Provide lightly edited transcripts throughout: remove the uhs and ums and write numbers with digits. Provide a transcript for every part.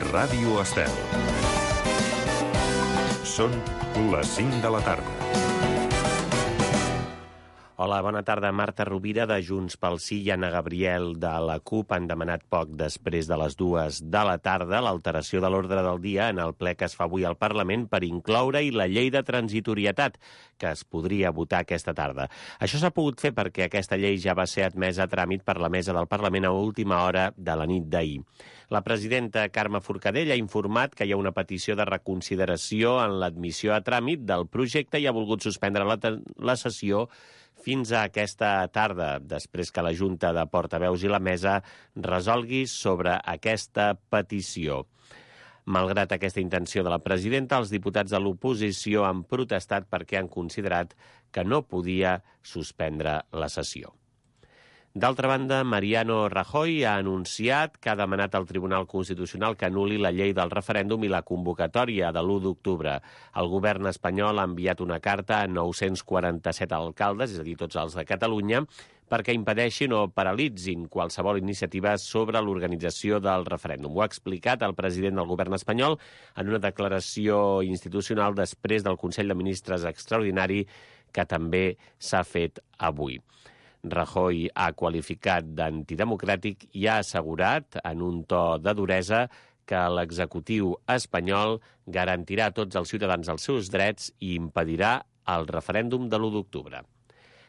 Ràdio Estel. Són les 5 de la tarda. Hola, bona tarda. Marta Rovira, de Junts pel Sí, i Anna Gabriel, de la CUP, han demanat poc després de les 2 de la tarda l'alteració de l'ordre del dia en el ple que es fa avui al Parlament per incloure-hi la llei de transitorietat, que es podria votar aquesta tarda. Això s'ha pogut fer perquè aquesta llei ja va ser admesa a tràmit per la mesa del Parlament a última hora de la nit d'ahir. La presidenta Carme Forcadell ha informat que hi ha una petició de reconsideració en l'admissió a tràmit del projecte i ha volgut suspendre la sessió fins a aquesta tarda, després que la Junta de Portaveus i la Mesa resolgui sobre aquesta petició. Malgrat aquesta intenció de la presidenta, els diputats de l'oposició han protestat perquè han considerat que no podia suspendre la sessió. D'altra banda, Mariano Rajoy ha anunciat que ha demanat al Tribunal Constitucional que anul·li la llei del referèndum i la convocatòria de l'1 d'octubre. El govern espanyol ha enviat una carta a 947 alcaldes, és a dir, tots els de Catalunya, perquè impedeixin o paralitzin qualsevol iniciativa sobre l'organització del referèndum. Ho ha explicat el president del govern espanyol en una declaració institucional després del Consell de Ministres extraordinari que també s'ha fet avui. Rajoy ha qualificat d'antidemocràtic i ha assegurat, en un to de duresa, que l'executiu espanyol garantirà a tots els ciutadans els seus drets i impedirà el referèndum de l'1 d'octubre.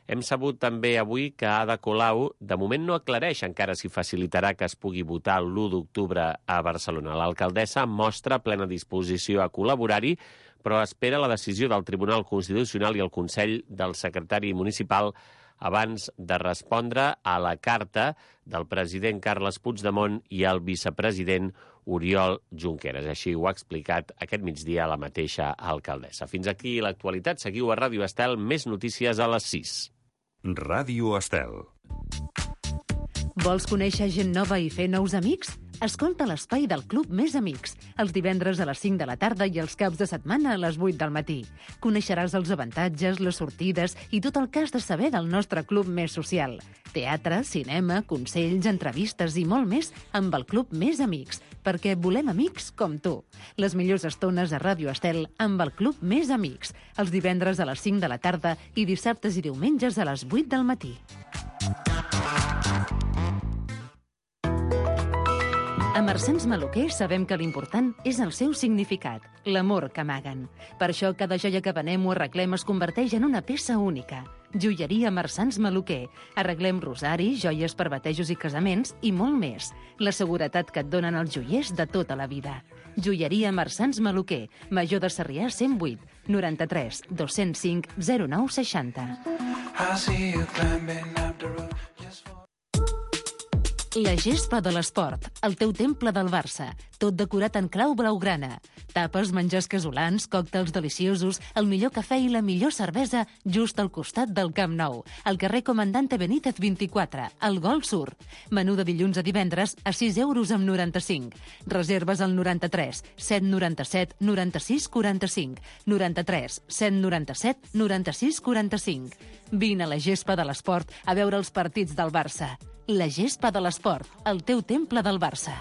Hem sabut també avui que Ada Colau de moment no aclareix encara si facilitarà que es pugui votar l'1 d'octubre a Barcelona. L'alcaldessa mostra plena disposició a col·laborar-hi, però espera la decisió del Tribunal Constitucional i el Consell del secretari municipal abans de respondre a la carta del president Carles Puigdemont i el vicepresident Oriol Junqueras. Així ho ha explicat aquest migdia la mateixa alcaldessa. Fins aquí l'actualitat. Seguiu a Ràdio Estel, més notícies a les 6. Ràdio Estel. Vols conèixer gent nova i fer nous amics? Escolta l'espai del Club Més Amics, els divendres a les 5 de la tarda i els caps de setmana a les 8 del matí. Coneixeràs els avantatges, les sortides i tot el que has de saber del nostre club més social. Teatre, cinema, consells, entrevistes i molt més amb el Club Més Amics, perquè volem amics com tu. Les millors estones a Ràdio Estel amb el Club Més Amics, els divendres a les 5 de la tarda i dissabtes i diumenges a les 8 del matí. A Marsans Maluquer sabem que l'important és el seu significat, l'amor que amaguen. Per això cada joia que venem o arreglem es converteix en una peça única. Joieria Marsans Maluquer. Arreglem rosaris, joies per batejos i casaments i molt més. La seguretat que et donen els joiers de tota la vida. Joieria Marsans Maluquer. Major de Sarrià 108 93 205 0960. La gespa de l'esport, el teu temple del Barça, tot decorat en clau blaugrana. Tapes, menjars casolans, còctels deliciosos, el millor cafè i la millor cervesa just al costat del Camp Nou, al carrer Comandante Benítez 24, al Gol Sur. Menú de dilluns a divendres a 6,95 €. Reserves al 93 797 96 45, 93 797 96 45. Vine a la gespa de l'esport a veure els partits del Barça. La gespa de l'esport, el teu temple del Barça.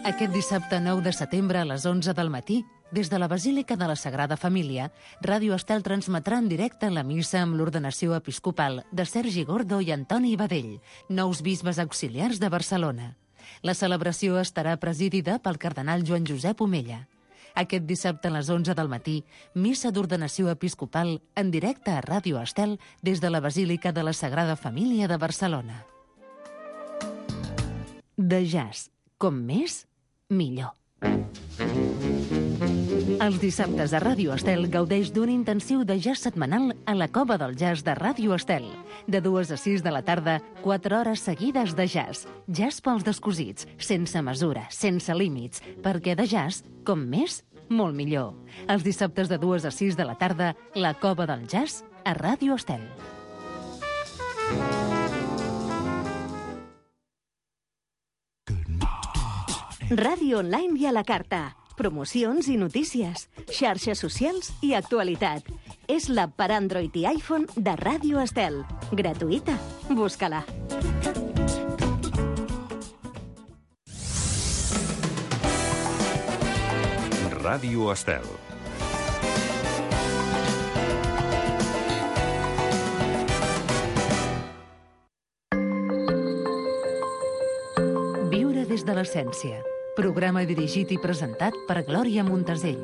Aquest dissabte 9 de setembre a les 11 del matí, des de la Basílica de la Sagrada Família, Ràdio Estel transmetrà en directe la missa amb l'ordenació episcopal de Sergi Gordo i Antoni Badell, nous bisbes auxiliars de Barcelona. La celebració estarà presidida pel cardenal Joan Josep Omella. Aquest dissabte a les 11 del matí, missa d'ordenació episcopal en directe a Ràdio Estel des de la Basílica de la Sagrada Família de Barcelona. De jazz, com més, millor. Els dissabtes a Ràdio Estel gaudeix d'un intensiu de jazz setmanal a la Cova del Jazz de Ràdio Estel. De 2 a 6 de la tarda, 4 hores seguides de jazz. Jazz pels descosits, sense mesura, sense límits, perquè de jazz, com més, molt millor. Els dissabtes de 2 a 6 de la tarda, la Cova del Jazz a Ràdio Estel. Ràdio online i a la carta. Promocions i notícies, xarxes socials i actualitat. És l'app per Android i iPhone de Ràdio Estel. Gratuïta. Busca-la. Ràdio Estel. Viure des de l'essència. Programa dirigit i presentat per Glòria Montesell.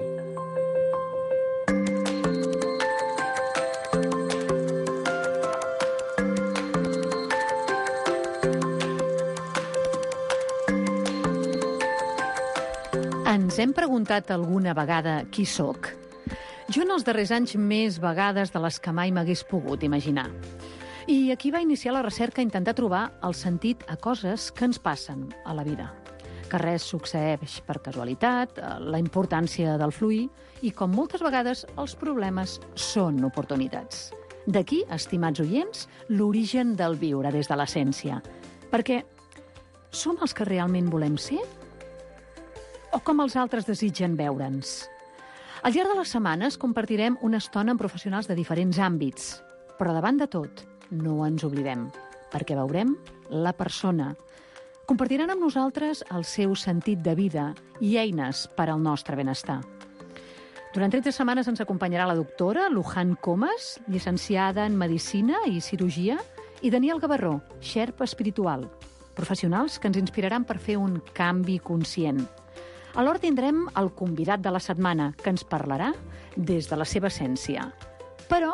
Ens hem preguntat alguna vegada qui sóc? Jo en els darrers anys més vegades de les que mai m'hagués pogut imaginar. I aquí va iniciar la recerca a intentar trobar el sentit a coses que ens passen a la vida. Que res succeeix per casualitat, la importància del fluir i, com moltes vegades, els problemes són oportunitats. D'aquí, estimats oients, l'origen del viure des de l'essència. Perquè som els que realment volem ser? O com els altres desitgen veure'ns? Al llarg de les setmanes compartirem una estona amb professionals de diferents àmbits. Però davant de tot, no ens oblidem, perquè veurem la persona. Compartiran amb nosaltres el seu sentit de vida i eines per al nostre benestar. Durant 30 setmanes ens acompanyarà la doctora Luján Comas, llicenciada en Medicina i Cirurgia, i Daniel Gavarró, xerpa espiritual, professionals que ens inspiraran per fer un canvi conscient. Alhora tindrem el convidat de la setmana, que ens parlarà des de la seva essència. Però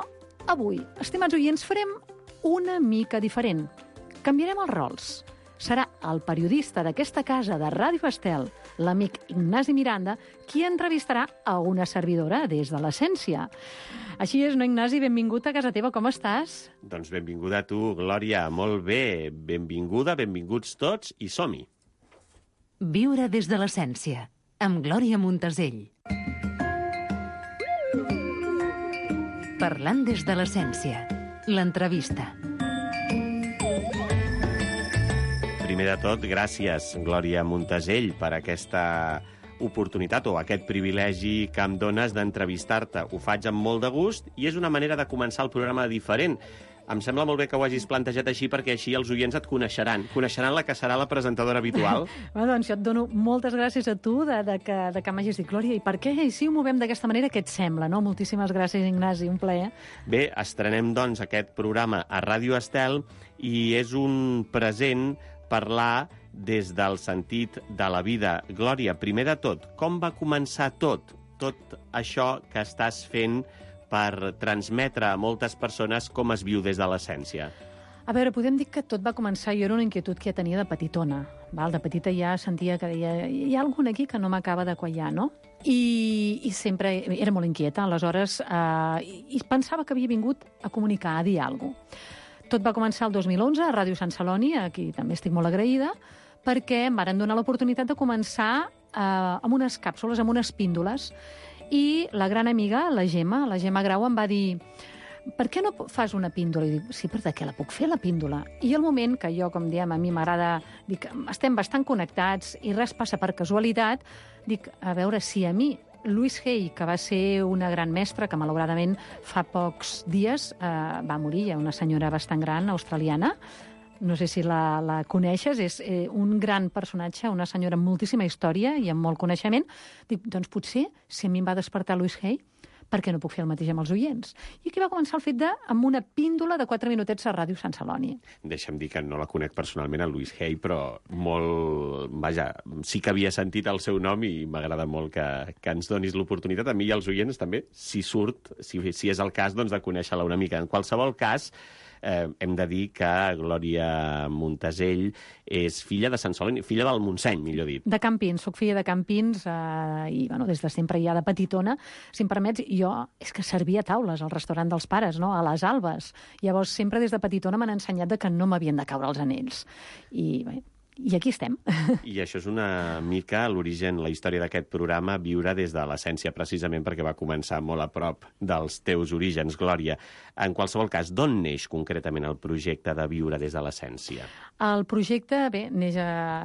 avui, estimats oients, farem una mica diferent. Canviarem els rols. Serà el periodista d'aquesta casa de Ràdio Estel, l'amic Ignasi Miranda, qui entrevistarà a una servidora des de l'essència. Així és, no, Ignasi? Benvingut a casa teva, com estàs? Doncs benvinguda a tu, Glòria, molt bé. Benvinguda, benvinguts tots i som-hi. Viure des de l'essència, amb Glòria Montesell. Parlant des de l'essència, l'entrevista. Primer de tot, gràcies, Glòria Montesell, per aquesta oportunitat o aquest privilegi que em dones d'entrevistar-te. Ho faig amb molt de gust i és una manera de començar el programa diferent. Em sembla molt bé que ho hagis plantejat així perquè així els oients et coneixeran. Coneixeran la que serà la presentadora habitual. Doncs jo et dono moltes gràcies a tu de que m'hagis dit, Glòria, i per què? I si ho movem d'aquesta manera, què et sembla? No? Moltíssimes gràcies, Ignasi, un plaer. Bé, estrenem, doncs, aquest programa a Ràdio Estel i és un present parlar des del sentit de la vida. Glòria, primer de tot, com va començar tot això que estàs fent per transmetre a moltes persones com es viu des de l'essència? A veure, podem dir que tot va començar, jo era una inquietud que ja tenia de petitona. De petita ja sentia que deia, hi ha algun aquí que no m'acaba de quallar, no? I sempre era molt inquieta, aleshores, i pensava que havia vingut a comunicar, a dir alguna cosa. Tot va començar el 2011 a Ràdio Sant Celoni, aquí també estic molt agraïda, perquè em varen donar l'oportunitat de començar amb unes càpsules, amb unes píndoles, i la gran amiga, la Gemma Grau, em va dir, per què no fas una píndola? I dic, sí, però de què la puc fer, la píndola? I el moment que jo, com diem, a mi m'agrada, dic, estem bastant connectats i res passa per casualitat, dic, a veure si a mi, Louise Hay, que va ser una gran mestra, que malauradament fa pocs dies va morir, una senyora bastant gran, australiana, no sé si la coneixes, és un gran personatge, una senyora amb moltíssima història i amb molt coneixement. Dic, doncs potser, si a mi em va despertar Louise Hay, per què no puc fer el mateix amb els oients? I aquí va començar el fet amb una píndola de 4 minutets a Ràdio Sant Celoni. Deixa'm dir que no la conec personalment, a Louise Hay, però molt... Vaja, sí que havia sentit el seu nom i m'agrada molt que ens donis l'oportunitat, a mi i als oients també, si és el cas, doncs de conèixer-la una mica. En qualsevol cas, hem de dir que Glòria Montesell és filla de Sant Celoni, filla del Montseny, millor dit. De Campins, soc filla de Campins i des de sempre ja de petitona, si em permets, jo és que servia taules al restaurant dels pares, no? A les Albes. Llavors sempre des de petitona m'han ensenyat que no m'havien de caure els anells. I I aquí estem. I això és una mica l'origen, la història d'aquest programa, Viure des de l'essència, precisament perquè va començar molt a prop dels teus orígens, Glòria. En qualsevol cas, d'on neix concretament el projecte de Viure des de l'essència? El projecte, bé, neix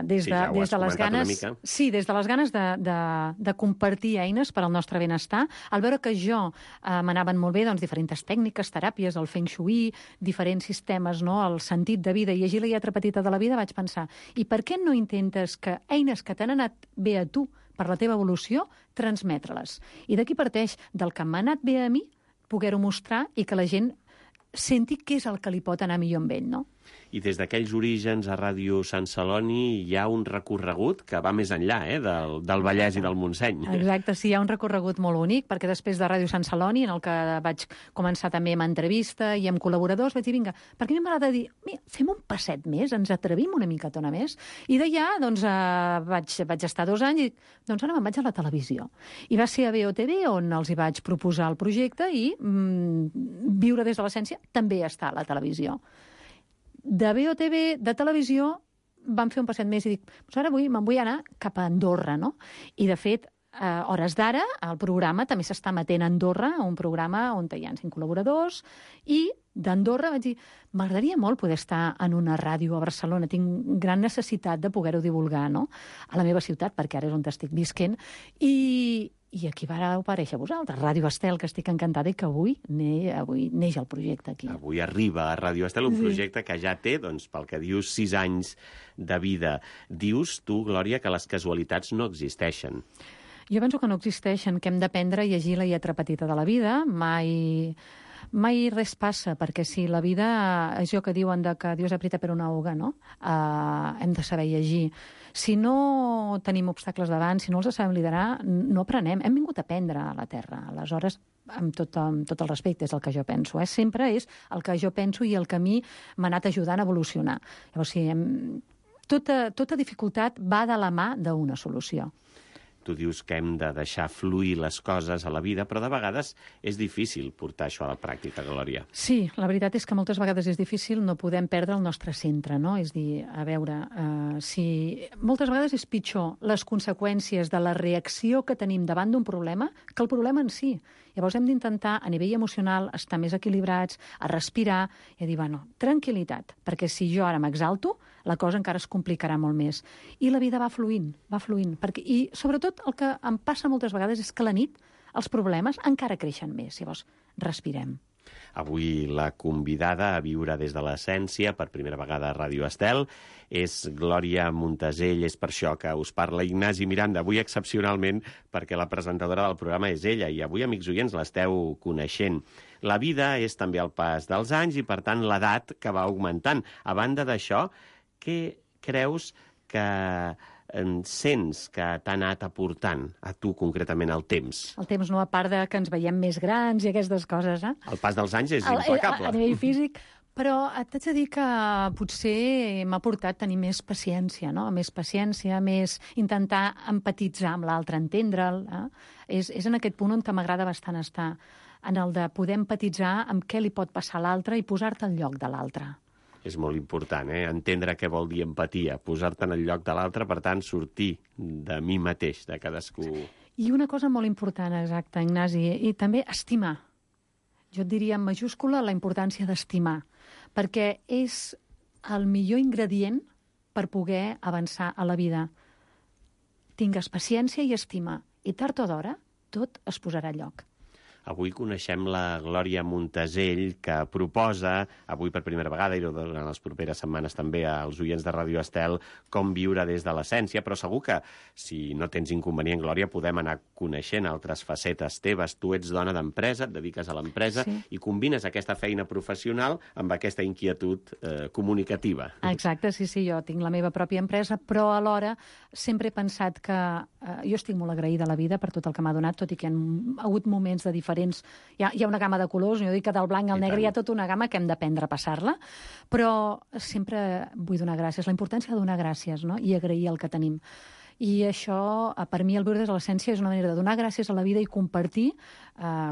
des de les ganes... Sí, des de les ganes de compartir eines per al nostre benestar. Al veure que jo m'anaven molt bé diferents tècniques, teràpies, el Feng Shui, diferents sistemes, el sentit de vida, i llegir la lletra petita de la vida, vaig pensar, i per què no intentes que eines que t'han anat bé a tu per la teva evolució, transmetre-les? I d'aquí parteix del que m'ha anat bé a mi, poder-ho mostrar i que la gent senti què és el que li pot anar millor amb ell, no? I des d'aquells orígens a Ràdio Sant Celoni hi ha un recorregut que va més enllà del Vallès i del Montseny. Exacte, sí, hi ha un recorregut molt bonic, perquè després de Ràdio Sant Celoni, en el que vaig començar també amb entrevista i amb col·laboradors, vaig dir, vinga, perquè a mi m'agrada dir, fem un passet més, ens atrevim una micatona més. I d'allà, vaig estar 2 anys i ara me'n vaig a la televisió. I va ser a BOTV on els hi vaig proposar el projecte i Viure des de l'essència també està a la televisió. De BOTV, de televisió, vam fer un passet més i dic, ara me'n vull anar cap a Andorra, no? I, de fet, a hores d'ara, el programa també s'està emetent a Andorra, un programa on hi ha 5 col·laboradors, i d'Andorra vaig dir, m'agradaria molt poder estar en una ràdio a Barcelona, tinc gran necessitat de poder-ho divulgar, no?, a la meva ciutat, perquè ara és on estic visquent, i aquí vareu aparèixer vosaltres, Ràdio Estel, que estic encantada i que avui neix el projecte aquí. Avui arriba a Ràdio Estel un projecte que ja té, pel que dius, 6 anys de vida. Dius tu, Glòria, que les casualitats no existeixen. Jo penso que no existeixen, que hem d'aprendre a llegir la lletra petita de la vida. Mai res passa, perquè si la vida és allò que diuen que Dios aprieta per una hoga, no? Hem de saber llegir. Si no tenim obstacles davant, si no els sabem liderar, no aprenem. Hem vingut a aprendre a la Terra. Aleshores, amb tot el respecte, és el que jo penso. Sempre és el que jo penso i el que a mi m'ha anat ajudant a evolucionar. Llavors, tota dificultat va de la mà d'una solució. Tu dius que hem de deixar fluir les coses a la vida, però de vegades és difícil portar això a la pràctica, Glòria. Sí, la veritat és que moltes vegades és difícil, no podem perdre el nostre centre, no? És dir, a veure, moltes vegades és pitjor les conseqüències de la reacció que tenim davant d'un problema que el problema en si. Llavors hem d'intentar, a nivell emocional, estar més equilibrats, a respirar i a dir, tranquil·litat, perquè si jo ara m'exalto, la cosa encara es complicarà molt més. I la vida va fluint. I, sobretot, el que em passa moltes vegades és que a la nit els problemes encara creixen més. Llavors, respirem. Avui la convidada a Viure des de l'essència, per primera vegada a Ràdio Estel, és Glòria Montesell. És per això que us parla Ignasi Miranda. Avui excepcionalment perquè la presentadora del programa és ella i avui, amics oients, l'esteu coneixent. La vida és també el pas dels anys i, per tant, l'edat que va augmentant. A banda d'això, què creus que sents que t'ha anat aportant a tu concretament el temps? El temps no, a part de que ens veiem més grans i aquestes coses, El pas dels anys és implacable. A nivell físic, però t'haig de dir que potser m'ha portat tenir més paciència, no? Més paciència, més intentar empatitzar amb l'altre, entendre'l. És en aquest punt on m'agrada bastant estar, en el de poder empatitzar amb què li pot passar a l'altre i posar-te al lloc de l'altre. És molt important, entendre què vol dir empatia, posar-te en el lloc de l'altre, per tant, sortir de mi mateix, de cadascú. I una cosa molt important, exacte, Ignasi, i també estimar. Jo et diria en majúscula la importància d'estimar, perquè és el millor ingredient per poder avançar a la vida. Tingues paciència i estima, i tard o d'hora tot es posarà a lloc. Avui coneixem la Glòria Montesell, que proposa, avui per primera vegada, i durant les properes setmanes també als oients de Ràdio Estel, com viure des de l'essència, però segur que, si no tens inconvenient, Glòria, podem anar coneixent altres facetes teves. Tu ets dona d'empresa, et dediques a l'empresa, sí, i combines aquesta feina professional amb aquesta inquietud comunicativa. Exacte, sí, jo tinc la meva pròpia empresa, però alhora sempre he pensat que jo estic molt agraïda a la vida per tot el que m'ha donat, tot i que hi ha hagut moments de diferents... Hi ha una gamma de colors, jo dic que del blanc al negre hi ha tota una gamma que hem d'aprendre a passar-la, però sempre vull donar gràcies, la importància de donar gràcies, no? I agrair el que tenim. I això, per mi, el viure des de l'essència és una manera de donar gràcies a la vida i compartir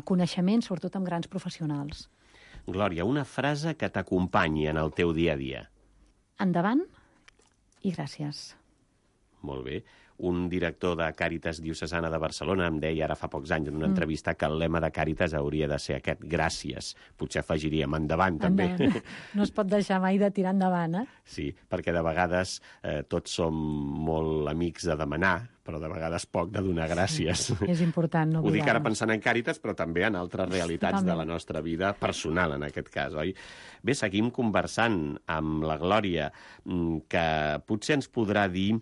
coneixements, sobretot amb grans professionals. Glòria, una frase que t'acompanyi en el teu dia a dia. Endavant i gràcies. Molt bé. Un director de Càritas Diocesana de Barcelona em deia ara fa pocs anys en una entrevista que el lema de Càritas hauria de ser aquest, gràcies. Potser afegiríem endavant, també. Endavant. No es pot deixar mai de tirar endavant, Sí, perquè de vegades tots som molt amics de demanar, però de vegades poc de donar gràcies. És important no Ho dic ara oblidar-nos. pensant en Càritas, però també en altres realitats de la nostra vida personal, en aquest cas, oi? Bé, seguim conversant amb la Glòria, que potser ens podrà dir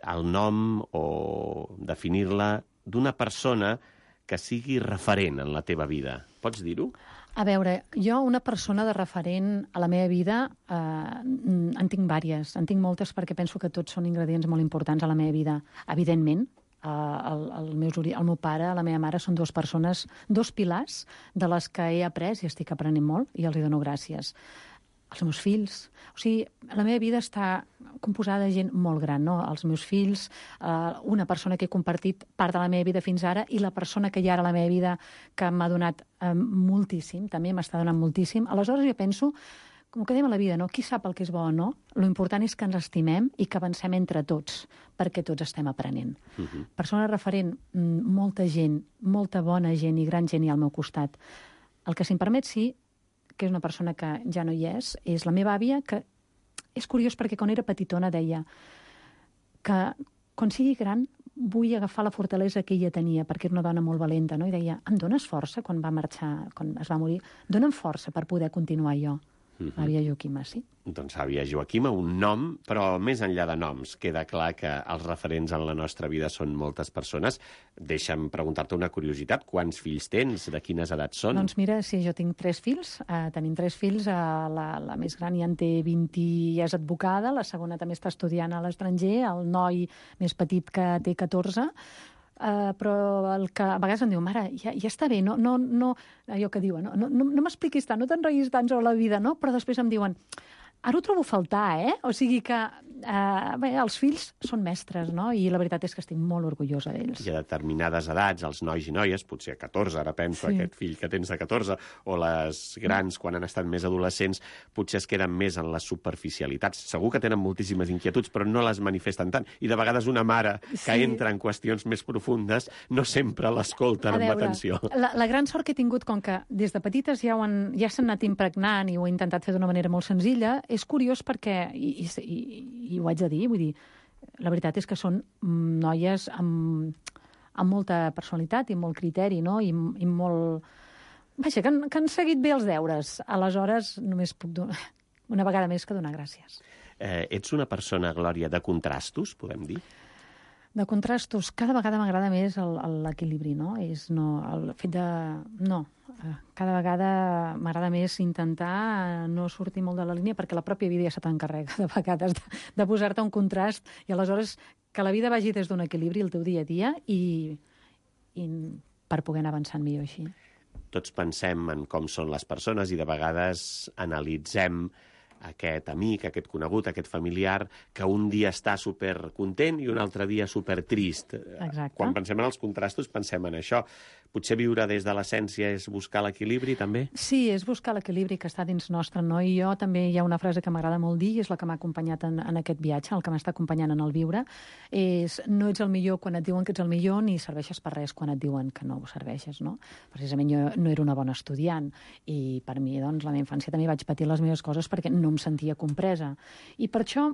el nom o definir-la d'una persona que sigui referent en la teva vida. Pots dir-ho? A veure, jo una persona de referent a la meva vida en tinc vàries, en tinc moltes perquè penso que tots són ingredients molt importants a la meva vida. Evidentment, el meu pare, la meva mare són dues persones, dos pilars de les que he après i estic aprenent molt i els hi dono gràcies. Els meus fills. O sigui, la meva vida està composada de gent molt gran, no? Els meus fills, una persona que he compartit part de la meva vida fins ara i la persona que hi ha ara a la meva vida que m'ha donat moltíssim, també m'està donant moltíssim. Aleshores jo penso, com que dèiem a la vida, no? Qui sap el que és bo o no? Lo important és que ens estimem i que avancem entre tots, perquè tots estem aprenent. Persona referent, molta gent, molta bona gent i gran gent hi ha al meu costat. El que, si em permet, sí, que és una persona que ja no hi és la meva àvia, que és curiós perquè quan era petitona deia que quan sigui gran vull agafar la fortalesa que ella tenia, perquè era una dona molt valenta, no? I deia, em dones força quan va marxar, quan es va morir? Dóna'm força per poder continuar jo. L'àvia Joaquima, sí. Doncs àvia Joaquima, un nom, però més enllà de noms, queda clar que els referents en la nostra vida són moltes persones. Deixa'm preguntar-te una curiositat. Quants fills tens? De quines edats són? Doncs mira, sí, jo tinc 3 fills. Tenim 3 fills. La més gran ja en té 20 i és advocada. La segona també està estudiant a l'estranger. El noi més petit que té 14. Però el que a vegades em diu, mare, ja està bé, no, allò que diuen, no m'expliquis tant, no t'enrotllis tant sobre la vida, no? Però després em diuen, ara ho trobo a faltar, O sigui que, bé, els fills són mestres, no? I la veritat és que estic molt orgullosa d'ells. I a determinades edats, els nois i noies, potser a 14, ara penso, aquest fill que tens de 14, o les grans, quan han estat més adolescents, potser es queden més en les superficialitats. Segur que tenen moltíssimes inquietuds, però no les manifesten tant. I de vegades una mare que entra en qüestions més profundes no sempre l'escolten amb atenció. La gran sort que he tingut, com que des de petites ja s'han anat impregnant i ho he intentat fer d'una manera molt senzilla, és curiós perquè, i ho haig de dir, vull dir, la veritat és que són noies amb molta personalitat i molt criteri, no? I molt... Vaja, que han seguit bé els deures. Aleshores, només puc donar, una vegada més que donar gràcies. Ets una persona, Glòria, de contrastos, podem dir? De contrastos, cada vegada m'agrada més l'equilibri, no? El fet de... No, cada vegada m'agrada més intentar no sortir molt de la línia perquè la pròpia vida ja se t'encarrega de vegades de posar-te un contrast i aleshores que la vida vagi des d'un equilibri el teu dia a dia i per poder anar avançant millor així. Tots pensem en com són les persones i de vegades analitzem aquest amic, aquest conegut, aquest familiar, que un dia està supercontent i un altre dia supertrist. Exacte. Quan pensem en els contrastos, pensem en això. Potser viure des de l'essència és buscar l'equilibri, també? Sí, és buscar l'equilibri que està dins nostre, no? I jo també hi ha una frase que m'agrada molt dir, i és la que m'ha acompanyat en aquest viatge, el que m'està acompanyant en el viure, és no ets el millor quan et diuen que ets el millor ni serveixes per res quan et diuen que no ho serveixes, no? Precisament jo no era una bona estudiant i per mi, doncs, la meva infància també vaig patir les meves coses perquè no em sentia compresa. I per això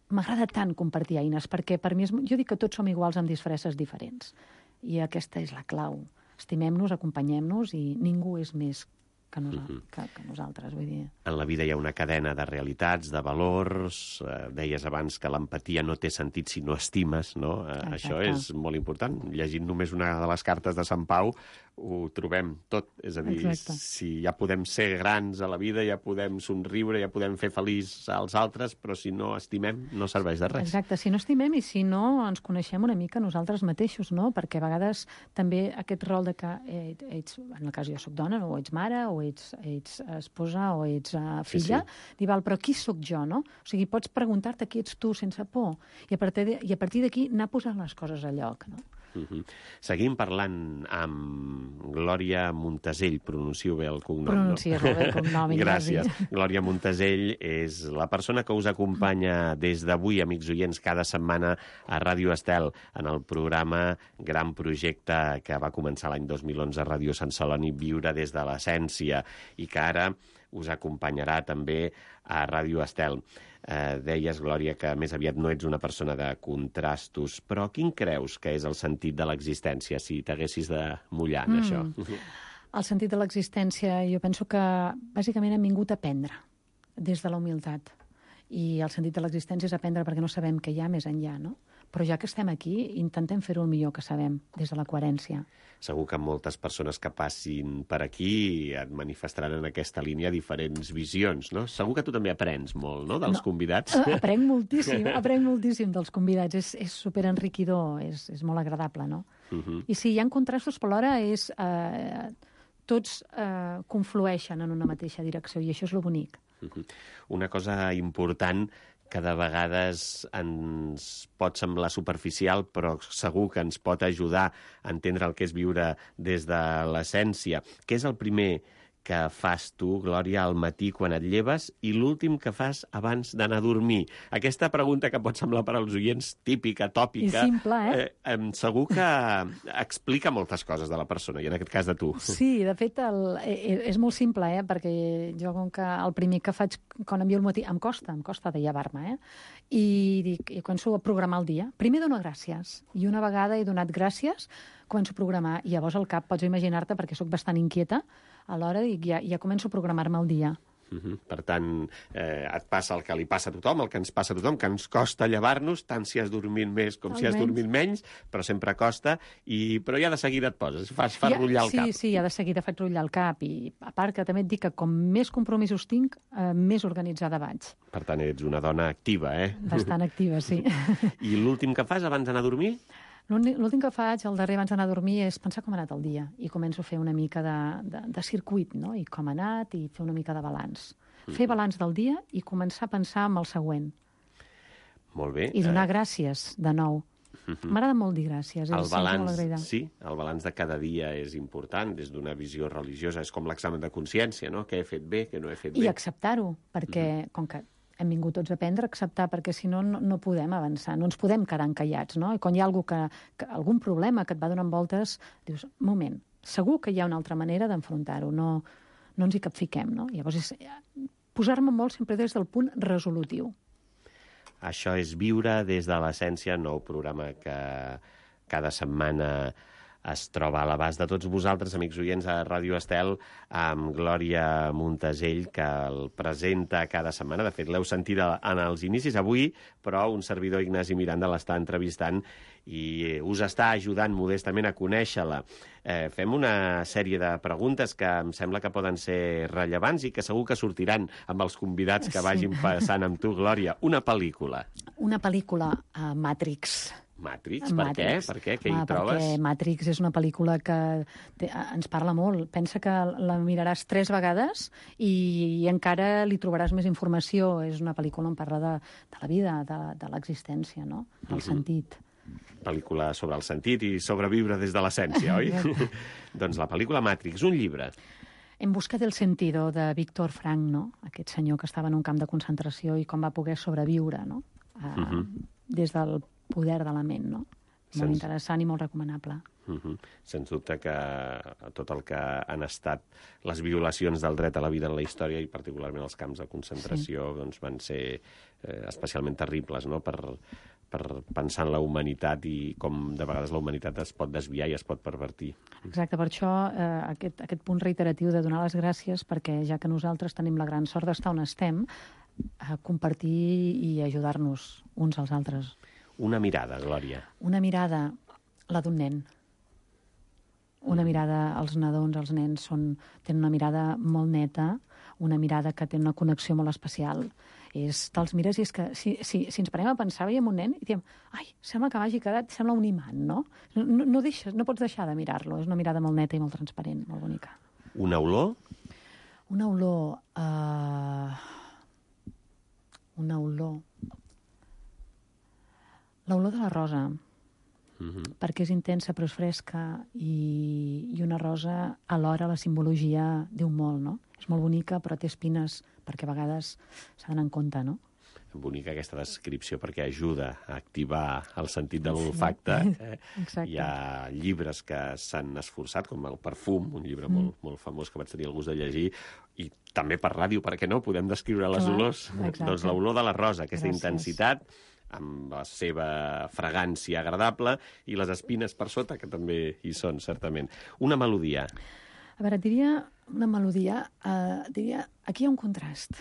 m'agrada tant compartir eines, perquè per mi jo dic que tots som iguals amb disfresses diferents. I aquesta és la clau. Estimem-nos, acompanyem-nos i ningú és més que nosaltres, vull dir. En la vida hi ha una cadena de realitats, de valors. Deies abans que l'empatia no té sentit si no estimes, no? Això és molt important. Llegint només una de les cartes de Sant Pau ho trobem tot. És a dir, si ja podem ser grans a la vida, ja podem somriure, ja podem fer feliç als altres, però si no estimem no serveix de res. Exacte, si no estimem i si no ens coneixem una mica nosaltres mateixos, no? Perquè a vegades també aquest rol de que ets, en el cas jo soc dona, o ets mare, o ets esposa, o ets filla, dival, però qui sóc jo, no? O sigui, pots preguntar-te qui ets tu sense por i a partir d'aquí anar posant les coses a lloc, no? Seguim parlant amb Glòria Montesell. Pronuncio bé el cognom, Pronuncies molt bé el cognom, Ignasi. Gràcies. Glòria Montesell és la persona que us acompanya des d'avui, amics oients, cada setmana a Ràdio Estel, en el programa Gran Projecte que va començar l'any 2011 a Ràdio Sant Celoni, Viure des de l'essència, i que ara us acompanyarà també a Ràdio Estel. Deies, Glòria, que més aviat no ets una persona de contrastos, però quin creus que és el sentit de l'existència, si t'haguessis de mullar en això? El sentit de l'existència, jo penso que bàsicament hem vingut a aprendre des de la humilitat. I el sentit de l'existència és aprendre perquè no sabem què hi ha més enllà, no? Però ja que estem aquí, intentem fer-ho el millor que sabem, des de la coherència. Segur que moltes persones que passin per aquí et manifestaran en aquesta línia diferents visions, no? Segur que tu també aprens molt, no?, dels convidats. Aprenc moltíssim dels convidats. És superenriquidor, és molt agradable, no? I sí, hi ha contrastos, però alhora tots conflueixen en una mateixa direcció, i això és lo bonic. Una cosa important que de vegades ens pot semblar superficial, però segur que ens pot ajudar a entendre el que és viure des de l'essència. Què és el primer que fas tu, Glòria, al matí quan et lleves i l'últim que fas abans d'anar a dormir? Aquesta pregunta que pot semblar per als oients típica, tòpica... I simple, segur que explica moltes coses de la persona, i en aquest cas de tu. Sí, de fet, és molt simple, perquè jo, com que el primer que faig quan em llevo al matí, em costa de llevar-me, i començo a programar el dia. Primer dono gràcies, i una vegada he donat gràcies, començo a programar, i llavors al cap pots imaginar-te, perquè sóc bastant inquieta, alhora ja començo a programar-me el dia. Per tant, et passa el que li passa a tothom, el que ens passa a tothom, que ens costa llevar-nos, tant si has dormit més com si has dormit menys, però sempre costa, però ja de seguida et poses, fas rotllar el cap. Sí, ja de seguida faig rotllar el cap, i a part que també et dic que com més compromisos tinc, més organitzada vaig. Per tant, ets una dona activa, Bastant activa, sí. I l'últim que fas abans d'anar a dormir? L'últim que faig, el darrer abans d'anar a dormir, és pensar com ha anat el dia, i començo a fer una mica de circuit, no?, i com ha anat, i fer una mica de balanç. Fer balanç del dia i començar a pensar en el següent. Molt bé. I donar gràcies, de nou. M'agrada molt dir gràcies. El balanç, sí, el balanç de cada dia és important, des d'una visió religiosa. És com l'examen de consciència, no?, què he fet bé, què no he fet bé. I acceptar-ho, perquè, com que hem vingut tots a aprendre, acceptar, perquè si no, no podem avançar, no ens podem quedar encallats, no? I quan hi ha algun problema que et va donant voltes, dius, moment, segur que hi ha una altra manera d'enfrontar-ho, no ens hi capfiquem, no? Llavors és posar-me molt sempre des del punt resolutiu. Això és Viure des de l'essència, nou programa que cada setmana es troba a l'abast de tots vosaltres, amics oients, a Ràdio Estel, amb Glòria Montesell, que el presenta cada setmana. De fet, l'heu sentit en els inicis avui, però un servidor, Ignasi Miranda, l'està entrevistant i us està ajudant modestament a conèixer-la. Fem una sèrie de preguntes que em sembla que poden ser rellevants i que segur que sortiran amb els convidats que vagin passant amb tu, Glòria. Una pel·lícula. Una pel·lícula, Matrix. Matrix? Per què? Per què? Què hi trobes? Perquè Matrix és una pel·lícula que ens parla molt. Pensa que la miraràs 3 vegades i encara li trobaràs més informació. És una pel·lícula on parla de la vida, de l'existència, no?, del sentit. Pel·lícula sobre el sentit i sobreviure des de l'essència, oi? Doncs la pel·lícula Matrix, un llibre. En busca del sentido, de Víctor Frank, no?, aquest senyor que estava en un camp de concentració i com va poder sobreviure, no?, des del poder de la ment, no? Molt interessant i molt recomanable. Sens dubte que tot el que han estat les violacions del dret a la vida en la història, i particularment els camps de concentració, doncs van ser especialment terribles, no?, per pensar en la humanitat i com de vegades la humanitat es pot desviar i es pot pervertir. Exacte, per això aquest punt reiteratiu de donar les gràcies, perquè ja que nosaltres tenim la gran sort d'estar on estem, compartir i ajudar-nos uns als altres. Una mirada, Glòria. Una mirada, la d'un nen. Una mirada, els nadons, els nens, tenen una mirada molt neta, una mirada que té una connexió molt especial. Te'ls mires i és que si ens parem a pensar, veiem un nen i diem, ai, sembla que m'hagi quedat, sembla un imant, no? No pots deixar de mirar-lo. És una mirada molt neta i molt transparent, molt bonica. Una olor? Una olor... Una olor... L'olor de la rosa. perquè és intensa però és fresca, i una rosa alhora la simbologia diu molt, no? És molt bonica però té espines perquè a vegades s'ha d'anar en compte, no? Bonica aquesta descripció perquè ajuda a activar el sentit de l'olfacte. Hi ha llibres que s'han esforçat, com El perfum, un llibre molt famós que vaig tenir el gust de llegir, i també per ràdio, perquè no? Podem descriure les olors. Doncs l'olor de la rosa, aquesta intensitat, amb la seva fragància agradable, i les espines per sota, que també hi són, certament. Una melodia. A veure, et diria una melodia, aquí hi ha un contrast.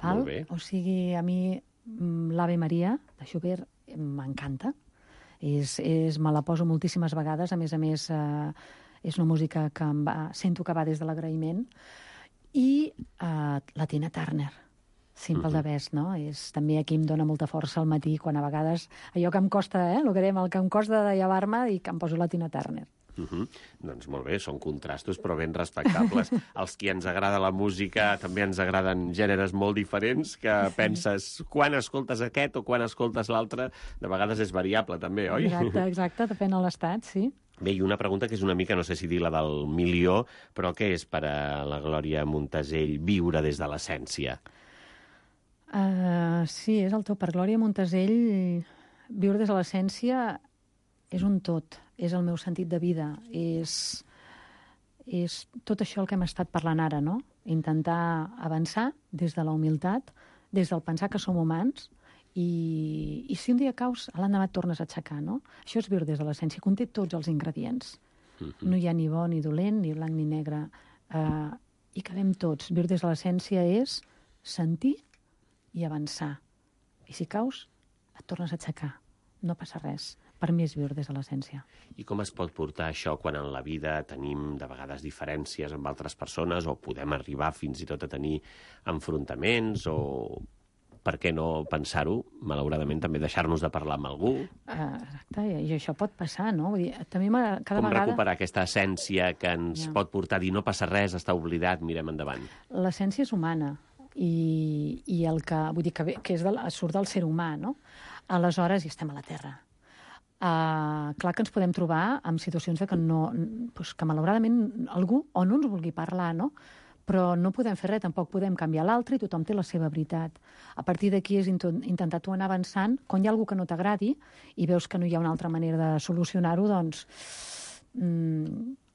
Molt bé. O sigui, a mi l'Ave Maria de Schubert m'encanta. Me la poso moltíssimes vegades. A més, és una música que sento que va des de l'agraïment. I la Tina Turner, Simple the Best, no? També aquí em dona molta força al matí, quan a vegades allò que em costa, el que em costa de llevar-me, i que em poso la Tina Turner. Doncs molt bé, són contrastos però ben respectables. Els qui ens agrada la música també ens agraden gèneres molt diferents, que penses quan escoltes aquest o quan escoltes l'altre, de vegades és variable també, oi? Exacte, depèn de l'estat, sí. Bé, i una pregunta que és una mica, no sé si dir la del milió, però què és per a la Glòria Montesell viure des de l'essència? Sí, és el tot. Per Glòria Montesell, viure des de l'essència és un tot, és el meu sentit de vida, és tot això el que hem estat parlant ara, no? Intentar avançar des de la humilitat, des del pensar que som humans, i si un dia caus, a l'endemà et tornes a aixecar, no? Això és viure des de l'essència, conté tots els ingredients. No hi ha ni bo ni dolent, ni blanc ni negre, i cabem tots. Viure des de l'essència és sentir i avançar. I si caus, et tornes a aixecar. No passa res. Per mi és viure des de l'essència. I com es pot portar això quan en la vida tenim de vegades diferències amb altres persones, o podem arribar fins i tot a tenir enfrontaments, o per què no pensar-ho, malauradament també deixar-nos de parlar amb algú? Exacte, i això pot passar, no? Vull dir, també cada com vegada... recuperar aquesta essència que ens pot portar a dir no passa res, està oblidat, mirem endavant? L'essència és humana, i el que, vull dir, que surt del ser humà, no? Aleshores, hi estem a la Terra. Clar que ens podem trobar en situacions que que malauradament algú o no ens vulgui parlar, no? Però no podem fer res, tampoc podem canviar l'altre, i tothom té la seva veritat. A partir d'aquí és intentar tu anar avançant. Quan hi ha algú que no t'agradi i veus que no hi ha una altra manera de solucionar-ho, doncs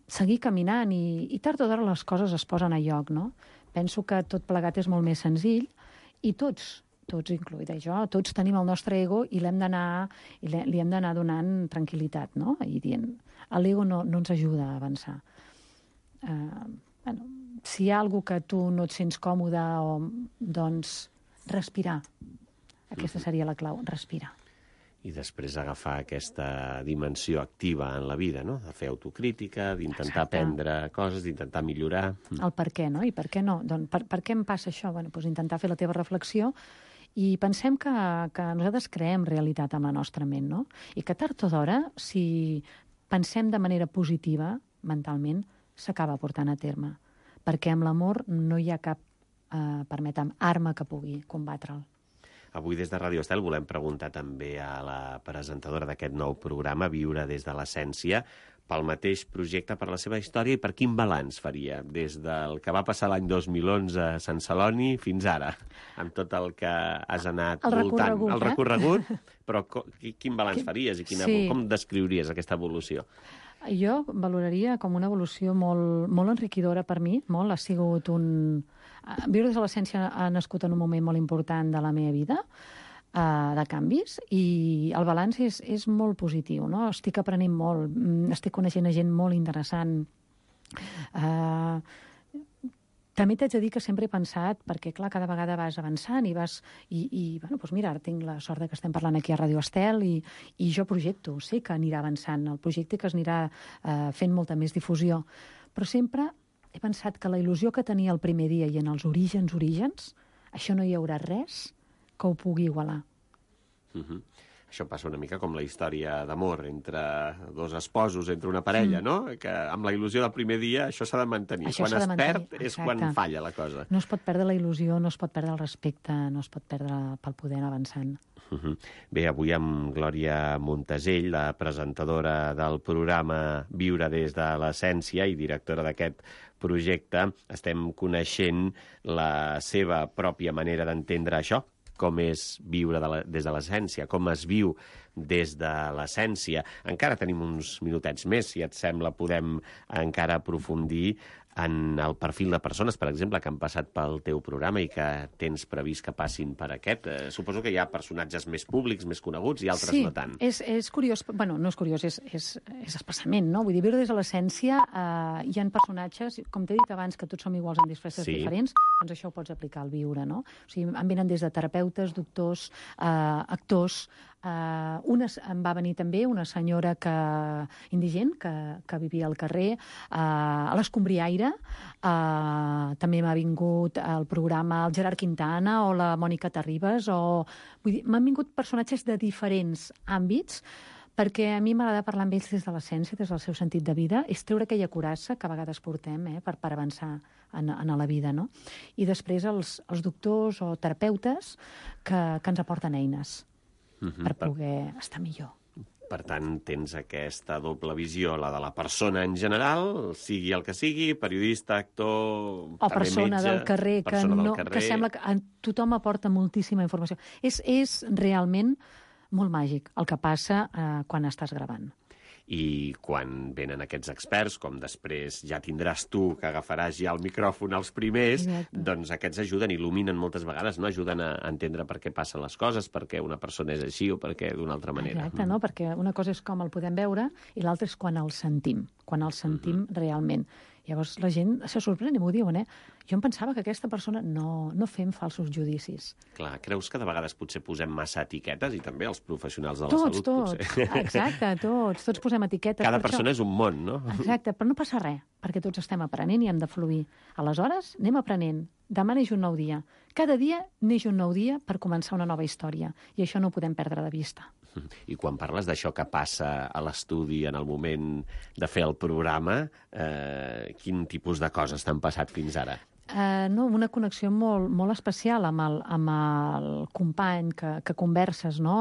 seguir caminant, i tard o d'hora les coses es posen a lloc, no? Penso que tot plegat és molt més senzill, i tots, incloïda jo, tots tenim el nostre ego i li hem d'anar donant tranquil·litat, no? I dient, l'ego no ens ajuda a avançar. Si hi ha alguna que tu no et sents còmode, doncs respirar. Aquesta seria la clau, respirar. I després agafar aquesta dimensió activa en la vida, no? De fer autocrítica, d'intentar aprendre coses, d'intentar millorar. El per què, no? I per què no? Doncs per què em passa això? Doncs intentar fer la teva reflexió, i pensem que nosaltres creem realitat amb la nostra ment, no? I que tard o d'hora, si pensem de manera positiva, mentalment, s'acaba portant a terme. Perquè amb l'amor no hi ha cap, arma que pugui combatre'l. Avui des de Ràdio Estel volem preguntar també a la presentadora d'aquest nou programa, Viure des de l'essència, pel mateix projecte, per la seva història, i per quin balanç faria des del que va passar l'any 2011 a Sant Celoni fins ara, amb tot el que has anat voltant. El recorregut, però quin balanç faries i com descriuries aquesta evolució? Jo valoraria com una evolució molt enriquidora per mi, molt. Ha sigut Viure des de l'essència ha nascut en un moment molt important de la meva vida, de canvis, i el balanç és molt positiu, no? Estic aprenent molt, estic coneixent gent molt interessant. També t'haig de dir que sempre he pensat, perquè clar, cada vegada vas avançant i doncs mira, ara tinc la sort que estem parlant aquí a Ràdio Estel, i jo projecto, sé que anirà avançant el projecte, que es anirà fent molta més difusió, però sempre he pensat que la il·lusió que tenia el primer dia i en els orígens, això no hi haurà res que ho pugui igualar. Això passa una mica com la història d'amor entre dos esposos, entre una parella, no? Que amb la il·lusió del primer dia això s'ha de mantenir. Això Quan s'ha de es mantenir, perd és exacte. quan falla la cosa. No es pot perdre la il·lusió, no es pot perdre el respecte, no es pot perdre pel poder anar avançant. Bé, avui amb Glòria Montesell, la presentadora del programa Viure des de l'Essència i directora d'aquest projecte, estem coneixent la seva pròpia manera d'entendre això, com és viure des de l'essència, com es viu des de l'essència. Encara tenim uns minutets més, si et sembla, podem encara aprofundir en el perfil de persones, per exemple, que han passat pel teu programa i que tens previst que passin per aquest. Suposo que hi ha personatges més públics, més coneguts, i altres no tant. Sí, és curiós. Bueno, no és curiós, és especialment, no? Vull dir, viure des de l'essència hi ha personatges, com t'he dit abans, que tots som iguals en disfresses diferents, doncs això ho pots aplicar al viure, no? O sigui, en venen des de terapeutes, doctors, actors. Em va venir també una senyora indigent que vivia al carrer, a l'Escombriaire. També m'ha vingut al programa el Gerard Quintana o la Mònica Terribas. Vull dir, m'han vingut personatges de diferents àmbits, perquè a mi m'agrada parlar amb ells des de l'essència, des del seu sentit de vida, és treure aquella coratge que a vegades portem per avançar en la vida, no? I després els doctors o terapeutes que ens aporten eines per poder estar millor. Per tant, tens aquesta doble visió, la de la persona en general, sigui el que sigui, periodista, actor, o persona metge, del carrer, que sembla que a tothom aporta moltíssima informació. És realment molt màgic el que passa quan estàs gravant. I quan venen aquests experts, com després ja tindràs tu, que agafaràs ja el micròfon als primers, doncs aquests ajuden, il·luminen moltes vegades, no? Ajuden a entendre per què passen les coses, per què una persona és així o per què d'una altra manera. Exacte, no? Perquè una cosa és com el podem veure i l'altra és quan el sentim realment. Llavors la gent se sorprèn i m'ho diuen, Jo em pensava que aquesta persona no fem falsos judicis. Clar, creus que de vegades potser posem massa etiquetes i també els professionals de la salut? Tots, exacte, tots posem etiquetes. Cada persona és un món, no? Exacte, però no passa res, perquè tots estem aprenent i hem de fluir. Aleshores, anem aprenent. Demà neix un nou dia. Cada dia neix un nou dia per començar una nova història. I això no ho podem perdre de vista. I quan parles d'això que passa a l'estudi en el moment de fer el programa, quin tipus de coses t'han passat fins ara? Una connexió molt especial amb el company que converses, no?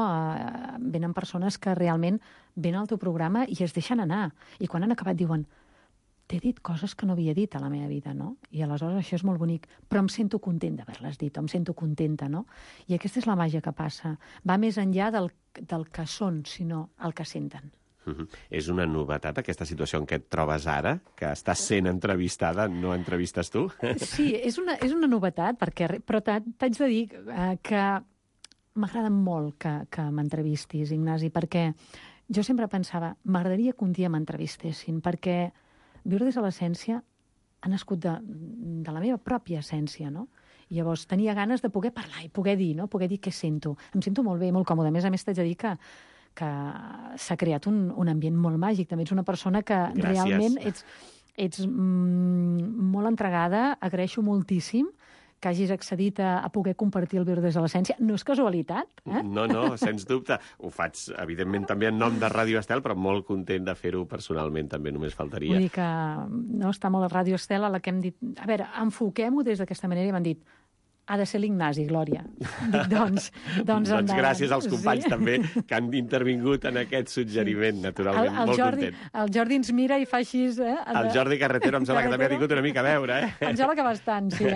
Venen persones que realment venen al teu programa i es deixen anar. I quan han acabat diuen: t'he dit coses que no havia dit a la meva vida, no? I aleshores això és molt bonic, però em sento content d'haver-les dit, em sento contenta, no? I aquesta és la màgia que passa. Va més enllà del que són, sinó el que senten. És una novetat aquesta situació en què et trobes ara, que estàs sent entrevistada, no entrevistes tu? Sí, és una novetat, però t'haig de dir que m'agrada molt que m'entrevistis, Ignasi, perquè jo sempre pensava, m'agradaria que un dia m'entrevistessin, perquè viure des de l'essència ha nascut de la meva pròpia essència, no? I llavors tenia ganes de poder parlar i poder dir, no? Poder dir què sento. Em sento molt bé, molt còmode. A més, t'haig de dir que s'ha creat un ambient molt màgic. També ets una persona que realment ets molt entregada. Agraeixo moltíssim que hagis accedit a poder compartir el viure des de l'essència. No és casualitat, No, sens dubte. Ho faig, evidentment, també en nom de Ràdio Estel, però molt content de fer-ho personalment, també, només faltaria. Vull dir que està molt a Ràdio Estel, a la que hem dit, a veure, enfoquem-ho des d'aquesta manera, i m'han dit, ha de ser l'Ignasi, Glòria. Dic, doncs gràcies als companys també que han intervingut en aquest suggeriment, naturalment, molt content. El Jordi ens mira i fa així... El Jordi Carretero em sembla que també ha tingut una mica a veure, Em sembla que bastant, sí,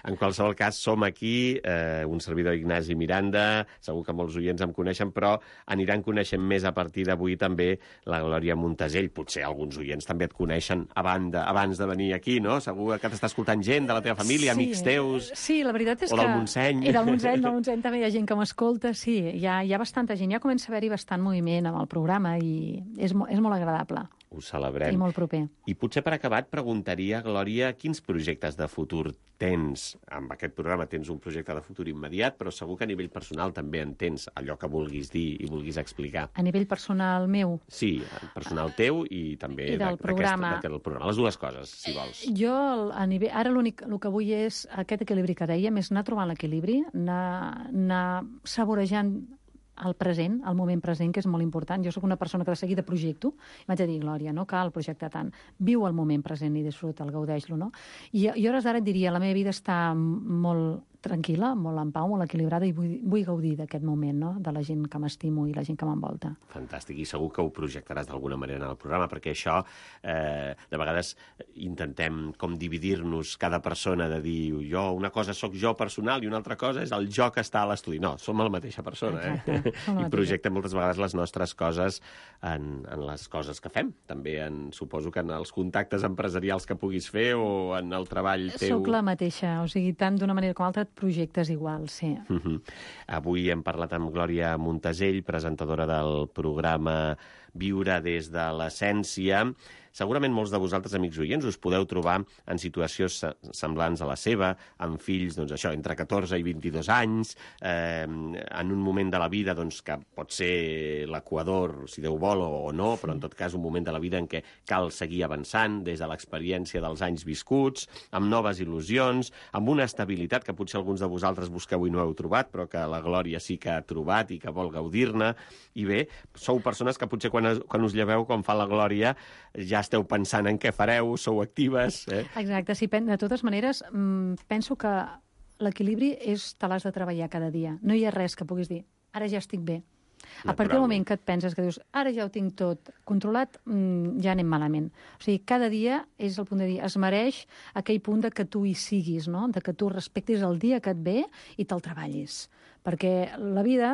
En qualsevol cas, som aquí, un servidor Ignasi Miranda, segur que molts oients em coneixen, però aniran coneixent més a partir d'avui també la Glòria Montesell. Potser alguns oients també et coneixen abans de venir aquí, no? Segur que t'està escoltant gent de la teva família, amics teus... Sí, la veritat és o del Montseny. I del Montseny també hi ha gent que m'escolta, sí, hi ha bastanta gent, ja comença a haver-hi bastant moviment amb el programa i és molt agradable. Ho celebrem. I molt proper. I potser per acabar et preguntaria, Glòria, quins projectes de futur tens? Amb aquest programa tens un projecte de futur immediat, però segur que a nivell personal també en tens allò que vulguis dir i vulguis explicar. A nivell personal meu? Sí, personal teu i també del programa. Les dues coses, si vols. Jo, ara el que vull és aquest equilibri que dèiem, és anar trobant l'equilibri, anar saborejant al present, al moment present, que és molt important. Jo sóc una persona que de seguida projecto, i vaig a dir, Glòria, no cal projectar tant. Viu el moment present i disfruta'l, gaudeix-lo, no? I a hores d'ara et diria, la meva vida està molt tranquil·la, molt en pau, molt equilibrada, i vull gaudir d'aquest moment, no?, de la gent que m'estimo i la gent que m'envolta. Fantàstic, i segur que ho projectaràs d'alguna manera en el programa, perquè això, de vegades, intentem com dividir-nos cada persona, de dir, una cosa sóc jo personal i una altra cosa és el jo que està a l'estudi. No, som la mateixa persona, I projectem moltes vegades les nostres coses en les coses que fem. També suposo que en els contactes empresarials que puguis fer o en el treball teu... Soc la mateixa, o sigui, tant d'una manera com altra, projectes igual, sí. Avui hem parlat amb Glòria Montasell, presentadora del programa Viure des de l'Essència. Segurament molts de vosaltres, amics oients, us podeu trobar en situacions semblants a la seva, amb fills, doncs això, entre 14 i 22 anys, en un moment de la vida doncs, que pot ser l'equador, si Déu vol o no, però en tot cas un moment de la vida en què cal seguir avançant des de l'experiència dels anys viscuts, amb noves il·lusions, amb una estabilitat que potser alguns de vosaltres busqueu i no heu trobat, però que la Glòria sí que ha trobat i que vol gaudir-ne. I bé, sou persones que potser quan us lleveu, com fa la Glòria, ja esteu pensant en què fareu, sou actives... Exacte, sí, de totes maneres, penso que l'equilibri te l'has de treballar cada dia. No hi ha res que puguis dir, ara ja estic bé. A partir del moment que et penses que dius, ara ja ho tinc tot controlat, ja anem malament. O sigui, cada dia és el punt de dir, es mereix aquell punt de que tu hi siguis, no?, de que tu respectis el dia que et ve i te'l treballis. Perquè la vida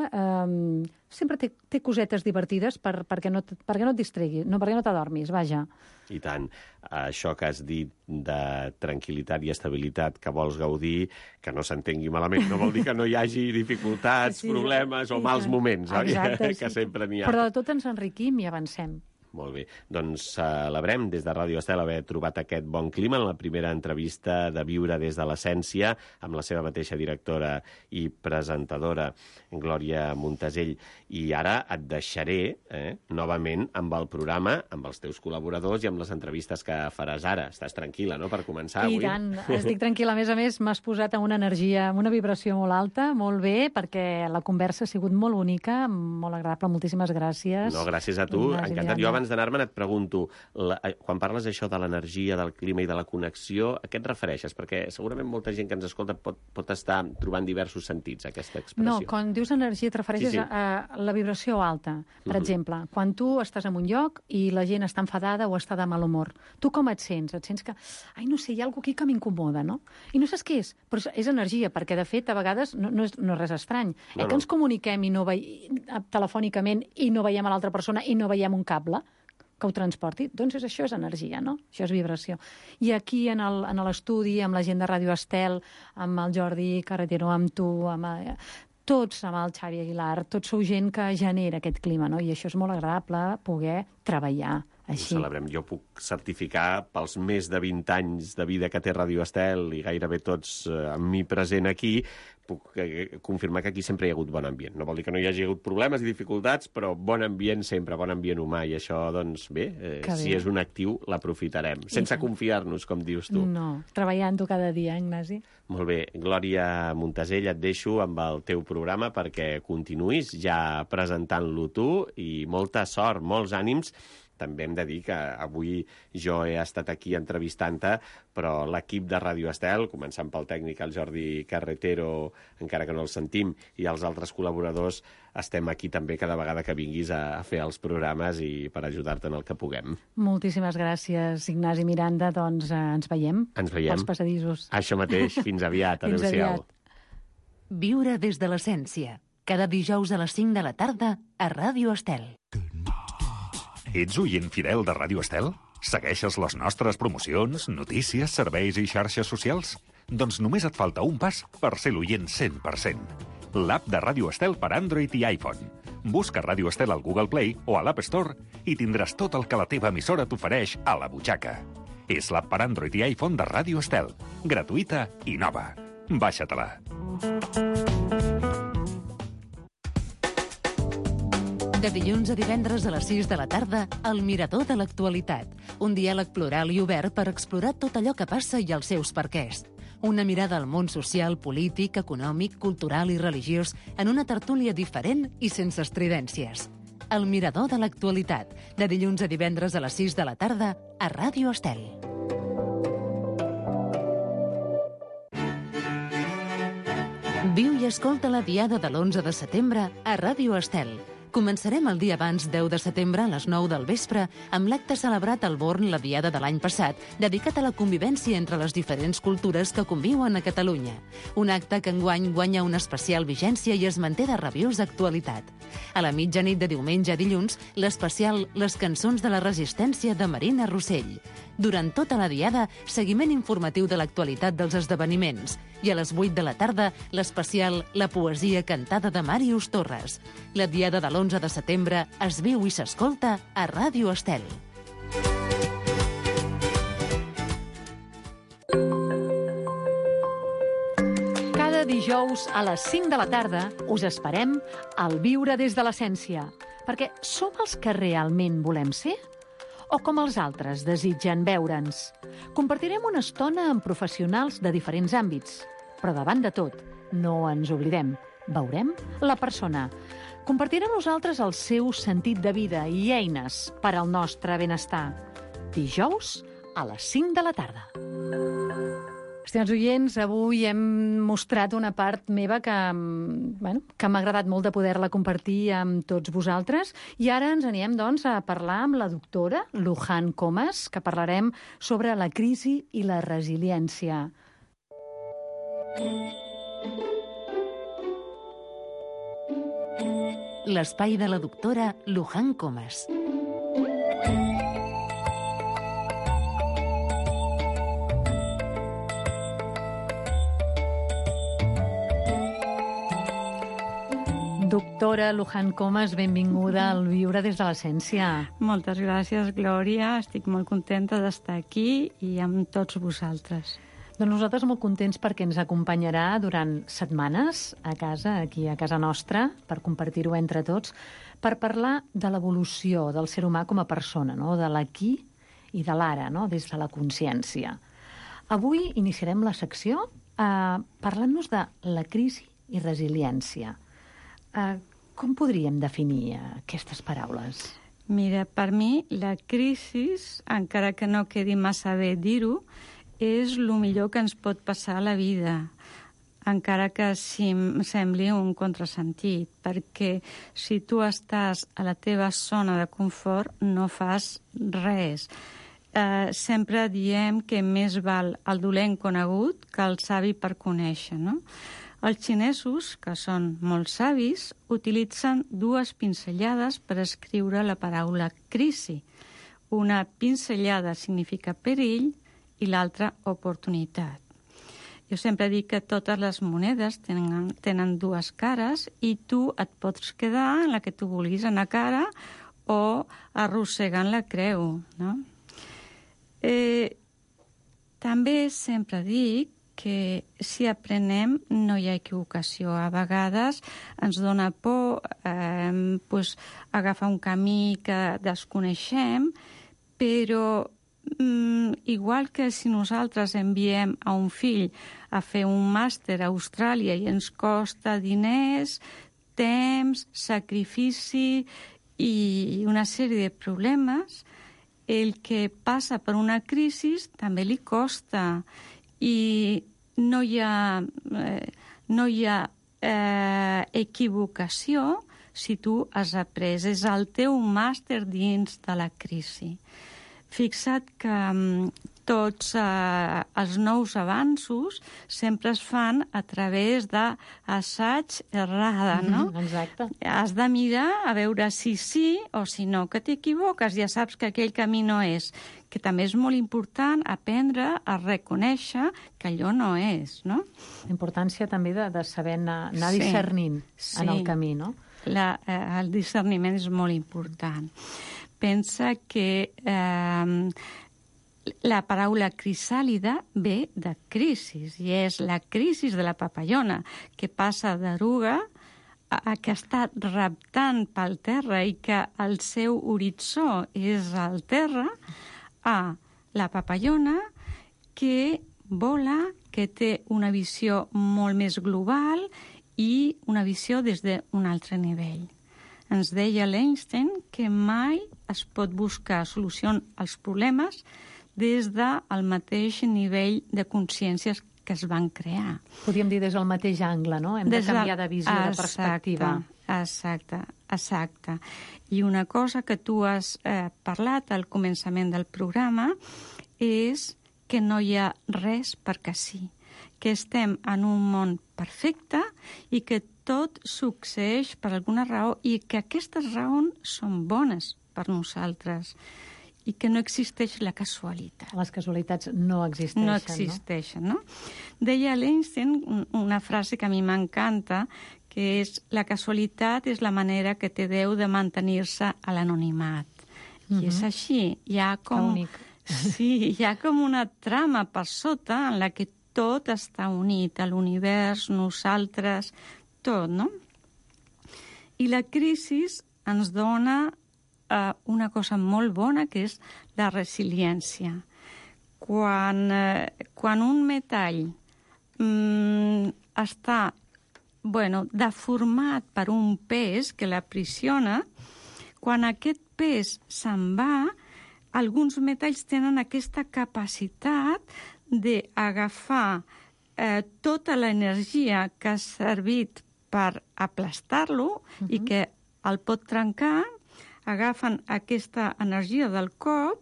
sempre té cosetes divertides perquè no et distreguis, perquè no t'adormis, vaja. I tant. Això que has dit de tranquil·litat i estabilitat que vols gaudir, que no s'entengui malament, no vol dir que no hi hagi dificultats, problemes o mals moments, oi? Exacte, que sempre n'hi ha. Però de tot ens enriquim i avancem. Molt bé. Doncs celebrem des de Ràdio Estel haver trobat aquest bon clima en la primera entrevista de Viure des de l'Essència amb la seva mateixa directora i presentadora, Glòria Montasell. I ara et deixaré novament amb el programa, amb els teus col·laboradors i amb les entrevistes que faràs ara. Estàs tranquil·la, no?, per començar avui. I tant. Estic tranquil·la. A més, m'has posat amb una energia, amb una vibració molt alta, molt bé, perquè la conversa ha sigut molt bonica, molt agradable. Moltíssimes gràcies. No, gràcies a tu. Encantat. Jo abans d'anar-me'n et pregunto, quan parles això de l'energia, del clima i de la connexió, a què et refereixes? Perquè segurament molta gent que ens escolta pot estar trobant diversos sentits, aquesta expressió. No, quan dius energia et refereixes a la vibració alta. Per exemple, quan tu estàs en un lloc i la gent està enfadada o està de mal humor, tu com et sents? Et sents que, no sé, hi ha alguna cosa aquí que m'incomoda, no? I no saps què és, però és energia, perquè de fet a vegades no és res estrany. Que ens comuniquem telefònicament i no veiem a l'altra persona i no veiem un cable que ho transporti, doncs això és energia, no? Això és vibració. I aquí, en l'estudi, amb la gent de Ràdio Estel, amb el Jordi Carretero, amb tu, tots, amb el Xavi Aguilar, tots sou gent que genera aquest clima, no? I això és molt agradable, poder treballar així. Ho celebrem. Jo puc certificar pels més de 20 anys de vida que té Ràdio Estel i gairebé tots amb mi present aquí, puc confirmar que aquí sempre hi ha hagut bon ambient. No vol dir que no hi hagi hagut problemes i dificultats, però bon ambient sempre, bon ambient humà, i això, doncs, bé, si és un actiu, l'aprofitarem. Sense confiar-nos, com dius tu. No, treballant-ho cada dia, Ignasi. Molt bé. Glòria Montasell, et deixo amb el teu programa perquè continuïs ja presentant-lo tu i molta sort, molts ànims. També hem de dir que avui jo he estat aquí entrevistant-te, però l'equip de Ràdio Estel, començant pel tècnic, el Jordi Carretero, encara que no el sentim, i els altres col·laboradors, estem aquí també cada vegada que vinguis a fer els programes i per ajudar-te en el que puguem. Moltíssimes gràcies, Ignasi Miranda. Doncs ens veiem. Ens veiem. Als passadissos. Això mateix. Fins aviat. Adéu-siau. Viure des de l'Essència. Cada dijous a les 5 de la tarda a Ràdio Estel. Ets oient fidel de Ràdio Estel? Segueixes les nostres promocions, notícies, serveis i xarxes socials? Doncs només et falta un pas per ser l'oient 100%. L'app de Ràdio Estel per Android i iPhone. Busca Ràdio Estel al Google Play o a l'App Store i tindràs tot el que la teva emissora t'ofereix a la butxaca. És l'app per Android i iPhone de Ràdio Estel. Gratuïta i nova. Baixa-te-la. De dilluns a divendres a les 6 de la tarda, El Mirador de l'Actualitat. Un diàleg plural i obert per explorar tot allò que passa i els seus perquès. Una mirada al món social, polític, econòmic, cultural i religiós en una tertúlia diferent i sense estridències. El Mirador de l'actualitat, de dilluns a divendres a les 6 de la tarda a Ràdio Estel. Viu i escolta la Diada de l'11 de setembre a Ràdio Estel. Començarem el dia abans, 10 de setembre, a les 9 del vespre, amb l'acte celebrat al Born la Diada de l'any passat, dedicat a la convivència entre les diferents cultures que conviuen a Catalunya. Un acte que enguany guanya una especial vigència i es manté de rabiosa actualitat. A la mitjanit de diumenge a dilluns, l'especial Les cançons de la resistència de Marina Rossell. Durant tota la Diada, seguiment informatiu de l'actualitat dels esdeveniments. I a les 8 de la tarda, l'especial La poesia cantada de Màrius Torres. La Diada de l'11 de setembre es viu i s'escolta a Ràdio Estel. Cada dijous a les 5 de la tarda us esperem al Viure des de l'Essència. Perquè som els que realment volem ser? O com els altres desitgen veure'ns? Compartirem una estona amb professionals de diferents àmbits. Però davant de tot, no ens oblidem. Veurem la persona. Compartirà amb nosaltres el seu sentit de vida i eines per al nostre benestar. Dijous a les 5 de la tarda. Estimats oients, avui hem mostrat una part meva que m'ha agradat molt de poder-la compartir amb tots vosaltres. I ara ens anirem, doncs, a parlar amb la doctora Luján Comas, que parlarem sobre la crisi i la resiliència. L'espai de la doctora Luján Comas. Doctora Luján Comas, benvinguda al Viure des de l'Essència. Moltes gràcies, Glòria. Estic molt contenta d'estar aquí i amb tots vosaltres. Doncs nosaltres molt contents perquè ens acompanyarà durant setmanes a casa, aquí a casa nostra, per compartir-ho entre tots, per parlar de l'evolució del ser humà com a persona, no? De l'aquí i de l'ara, no? Des de la consciència. Avui iniciarem la secció parlant-nos de la crisi i resiliència. Com podríem definir aquestes paraules? Mira, per mi la crisi, encara que no quedi massa bé dir-ho, és el millor que ens pot passar a la vida, encara que sembli un contrasentit, perquè si tu estàs a la teva zona de confort no fas res. Sempre diem que més val el dolent conegut que el savi per conèixer, no? Els xinesos, que són molt savis, utilitzen dues pinzellades per escriure la paraula crisi. Una pinzellada significa perill i l'altra oportunitat. Jo sempre dic que totes les monedes tenen dues cares i tu et pots quedar en la que tu vulguis anar cara o arrossegant la creu, no? També sempre dic que si aprenem no hi ha equivocació. A vegades ens dona por agafar un camí que desconeixem, però igual que si nosaltres enviem a un fill a fer un màster a Austràlia i ens costa diners, temps, sacrifici i una sèrie de problemes, el que passa per una crisi també li costa. I no hi ha equivocació si tu has après. És el teu màster dins de la crisi. Fixa't que tots els nous avanços sempre es fan a través d'assaig errada, no? Exacte. Has de mirar a veure si sí o si no, que t'equivoques, ja saps que aquell camí no és. Que també és molt important aprendre a reconèixer que allò no és, no? La importància també de saber anar discernint en el camí, no? El discerniment és molt important. Pensa que la paraula crisàlida ve de crisis, i és la crisi de la papallona, que passa d'eruga que està reptant pel terra i que el seu horitzó és el terra, a la papallona que vola que té una visió molt més global i una visió des d'un altre nivell. Ens deia l'Einstein que mai es pot buscar solució als problemes des del mateix nivell de consciències que es van crear. Podríem dir des del mateix angle, no? Hem de canviar de visió, de perspectiva. Exacte. I una cosa que tu has parlat al començament del programa és que no hi ha res perquè sí, que estem en un món perfecte i que tot succeeix per alguna raó i que aquestes raons són bones per nosaltres i que no existeix la casualitat. Les casualitats no existeixen, no? Existeixen, no? Deia l'Einstein una frase que a mi m'encanta, que és la casualitat és la manera que té Déu de mantenir-se a l'anonimat. I és així. Hi ha com una trama per sota en la que tot està unit, a l'univers, nosaltres, tot, no? I la crisi ens dona una cosa molt bona, que és la resiliència. Quan un metall està deformat per un pes que l'aprisiona, quan aquest pes se'n va, alguns metalls tenen aquesta capacitat d'agafar tota l'energia que ha servit per aplastar-lo i que el pot trencar, agafen aquesta energia del cop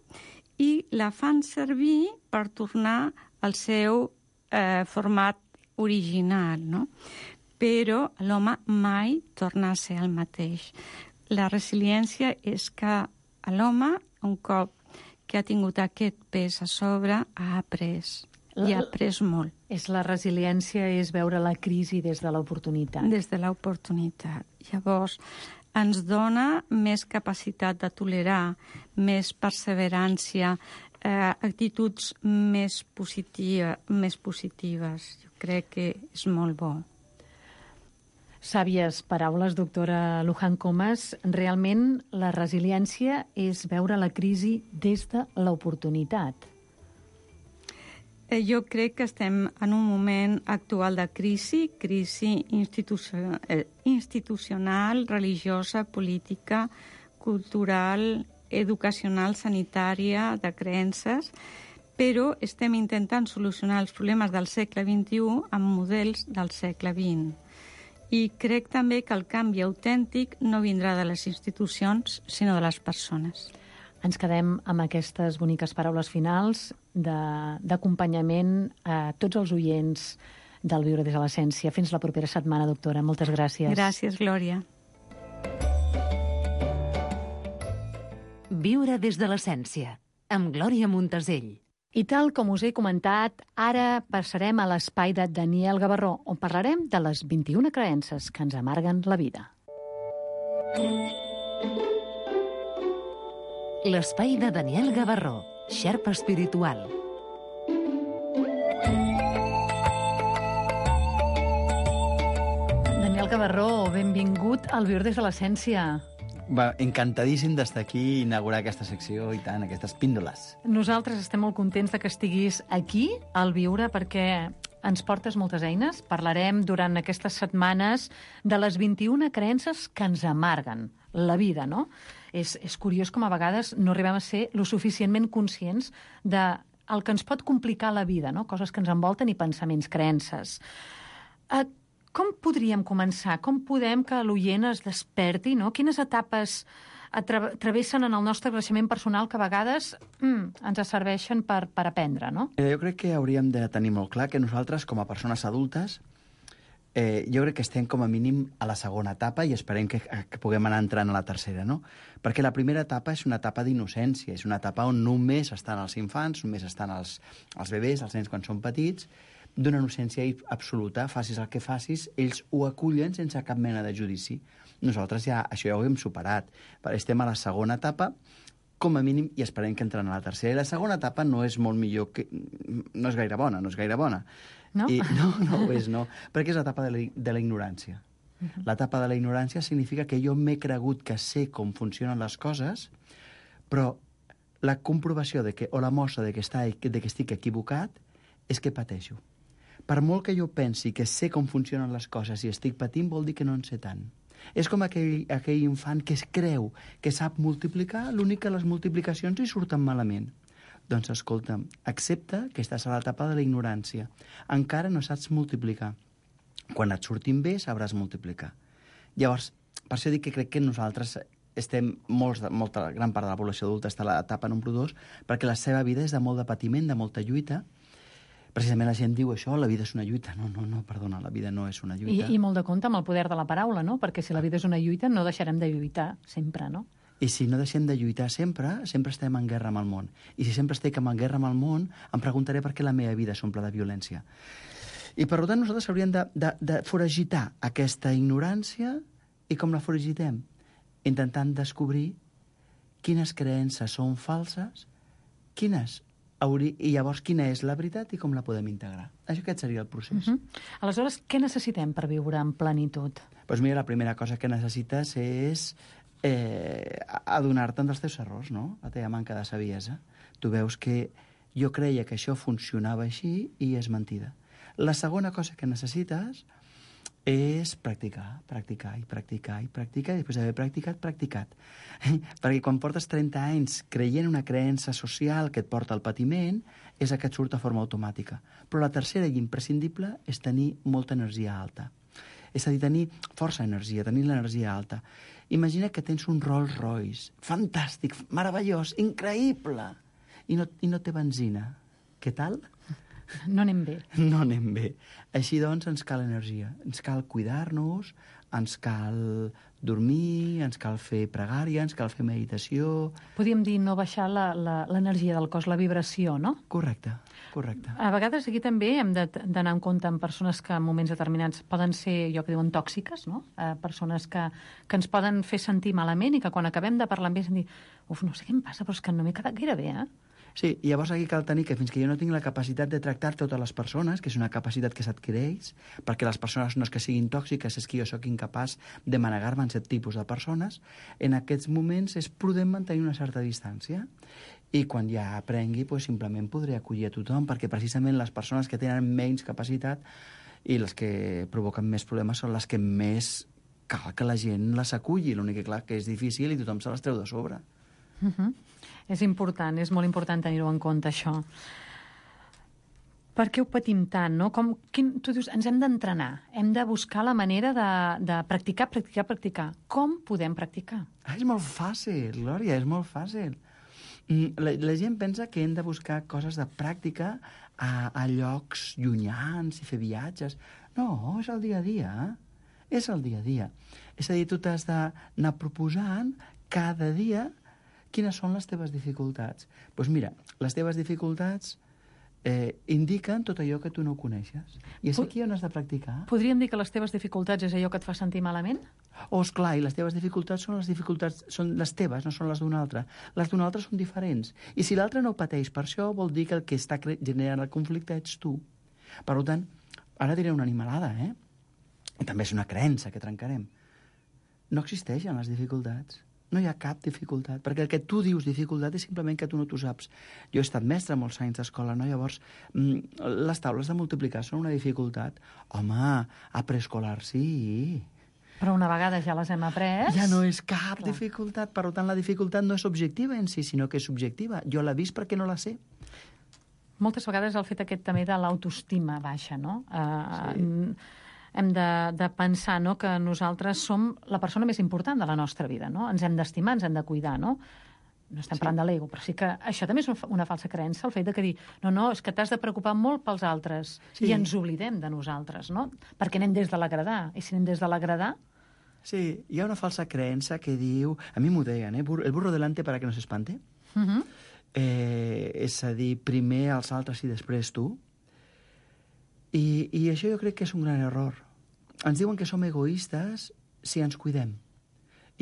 i la fan servir per tornar al seu format original, no? Però l'home mai torna a ser el mateix. La resiliència és que l'home, un cop que ha tingut aquest pes a sobre, ha après. I ha après molt. La resiliència és veure la crisi des de l'oportunitat. Des de l'oportunitat. Llavors, ens dona més capacitat de tolerar, més perseverància, actituds més positives. Jo crec que és molt bo. Sàvies paraules, doctora Luján Comas. Realment, la resiliència és veure la crisi des de l'oportunitat. Jo crec que estem en un moment actual de crisi institucional, religiosa, política, cultural, educacional, sanitària, de creences, però estem intentant solucionar els problemes del segle XXI amb models del segle XX. I crec també que el canvi autèntic no vindrà de les institucions, sinó de les persones. Ens quedem amb aquestes boniques paraules finals d'acompanyament a tots els oients del Viure des de l'Essència. Fins la propera setmana, doctora. Moltes gràcies. Gràcies, Glòria. Viure des de l'Essència, amb Glòria Montesell. I tal com us he comentat, ara passarem a l'espai de Daniel Gavarró, on parlarem de les 21 creences que ens amarguen la vida. L'espai de Daniel Gavarró, xerpa espiritual. Daniel Gavarró, benvingut al Viure des de l'Essència. Encantadíssim d'estar aquí i inaugurar aquesta secció i tant, aquestes píndoles. Nosaltres estem molt contents de que estiguis aquí al Viure perquè ens portes moltes eines. Parlarem durant aquestes setmanes de les 21 creences que ens amarguen la vida, no? És curiós com a vegades no arribem a ser lo suficientment conscients del que ens pot complicar la vida, no? Coses que ens envolten i pensaments, creences. Com podríem començar? Com podem que l'oient es desperti, no? Quines etapes travessen en el nostre creixement personal que a vegades ens serveixen per aprendre, no? Jo crec que hauríem de tenir molt clar que nosaltres, com a persones adultes, jo crec que estem com a mínim a la segona etapa i esperem que puguem anar entrant a la tercera, no? Perquè la primera etapa és una etapa d'innocència, és una etapa on només estan els infants, només estan els bebès, els nens quan són petits, d'una innocència absoluta, facis el que facis, ells ho acullen sense cap mena de judici. Nosaltres això ja ho hem superat. Estem a la segona etapa, com a mínim, i esperem que entrem a la tercera. I la segona etapa no és molt millor que... No és gaire bona. No? No ho és, no. Perquè és l'etapa de la ignorància. L'etapa de la ignorància significa que jo m'he cregut que sé com funcionen les coses, però la comprovació o la mostra de que estic equivocat és que pateixo. per molt que jo pensi que sé com funcionen les coses i estic patint, vol dir que no en sé tant. És com aquell infant que es creu que sap multiplicar, l'únic que les multiplicacions li surten malament. Doncs escolta'm, accepta que estàs a l'etapa de la ignorància. Encara no saps multiplicar. Quan et surtin bé, sabràs multiplicar. Llavors, per això dic que crec que nosaltres estem, molta gran part de la població adulta està a l'etapa número 2, perquè la seva vida és de molt de patiment, de molta lluita. Precisament la gent diu això, la vida és una lluita. No, perdona, la vida no és una lluita. I molt de compte amb el poder de la paraula, no? Perquè si la vida és una lluita, no deixarem de lluitar sempre, no? I si no deixem de lluitar sempre estem en guerra amb el món. I si sempre estic en guerra amb el món, em preguntaré per què la meva vida s'omple de violència. I per tant nosaltres hauríem de foragitar aquesta ignorància. I com la foragitem? Intentant descobrir quines creences són falses, i llavors quina és la veritat i com la podem integrar. Aquest seria el procés. Aleshores, què necessitem per viure en plenitud? Doncs mira, la primera cosa que necessites és adonar-te'n dels teus errors, no? La teva manca de saviesa. Tu veus que jo creia que això funcionava així i és mentida. La segona cosa que necessites és practicar, i després d'haver practicat. Perquè quan portes 30 anys creient una creença social que et porta al patiment, és que et surt de forma automàtica. Però la tercera i imprescindible és tenir molta energia alta. És a dir, tenir força energia, tenir l'energia alta. Imagina que tens un Rolls Royce, fantàstic, meravellós, increïble, i no té benzina. Què tal? No anem bé. No anem bé. Així doncs ens cal energia, ens cal cuidar-nos, ens cal dormir, ens cal fer pregària, ens cal fer meditació... Podríem dir no baixar l'energia del cos, la vibració, no? Correcte. A vegades aquí també hem d'anar en compte amb persones que en moments determinats poden ser, allò que diuen, tòxiques, no? Persones que ens poden fer sentir malament i que quan acabem de parlar amb ells hem dit no sé què em passa, però és que no m'he quedat gaire bé, Sí, i llavors aquí cal tenir que fins que jo no tinc la capacitat de tractar totes les persones, que és una capacitat que s'adquireix, perquè les persones no és que siguin tòxiques, és que jo sóc incapaç de manegar-me en 7 tipus de persones, en aquests moments és prudent mantenir una certa distància. I quan ja aprengui, simplement podré acollir a tothom, perquè precisament les persones que tenen menys capacitat i les que provoquen més problemes són les que més cal que la gent les aculli. L'únic que, clar, que és difícil i tothom se les treu de sobre. És important, és molt important tenir-ho en compte, això. Per què ho patim tant, no? Tu dius, ens hem d'entrenar, hem de buscar la manera de practicar. Com podem practicar? És molt fàcil, Glòria, és molt fàcil. La gent pensa que hem de buscar coses de pràctica a llocs llunyans i fer viatges. No, és el dia a dia. És el dia a dia. És a dir, tu t'has d'anar proposant cada dia quines són les teves dificultats. Doncs mira, les teves dificultats indiquen tot allò que tu no coneixes. I és aquí on has de practicar. Podríem dir que les teves dificultats és allò que et fa sentir malament? Esclar, i les teves dificultats són les teves, no són les d'un altre. Les d'un altre són diferents. I si l'altre no ho pateix per això, vol dir que el que està generant el conflicte ets tu. Per tant, ara diré una animalada, I també és una creença que trencarem. No existeixen les dificultats. No hi ha cap dificultat, perquè el que tu dius dificultat és simplement que tu no t'ho saps. Jo he estat mestre molts anys d'escola, no? Llavors, les taules de multiplicar són una dificultat. Home, a preescolar sí. Però una vegada ja les hem après... Ja no és cap dificultat. Per tant, la dificultat no és objectiva en si, sinó que és subjectiva. Jo l'he vist perquè no la sé. Moltes vegades el fet aquest també de l'autoestima baixa, no? Sí. Hem de pensar, no?, que nosaltres som la persona més important de la nostra vida, no? Ens hem d'estimar, ens hem de cuidar, no? No estem parlant de l'ego, però sí que això també és una falsa creença, el fet de que dir, no, és que t'has de preocupar molt pels altres, i ens oblidem de nosaltres, no? Perquè anem des de l'agradar, i si anem des de l'agradar... Sí, hi ha una falsa creença que diu... A mi m'ho deien, el burro delante para que no s'espante. És a dir, primer els altres i després tu. I això jo crec que és un gran error. Ens diuen que som egoistes si ens cuidem.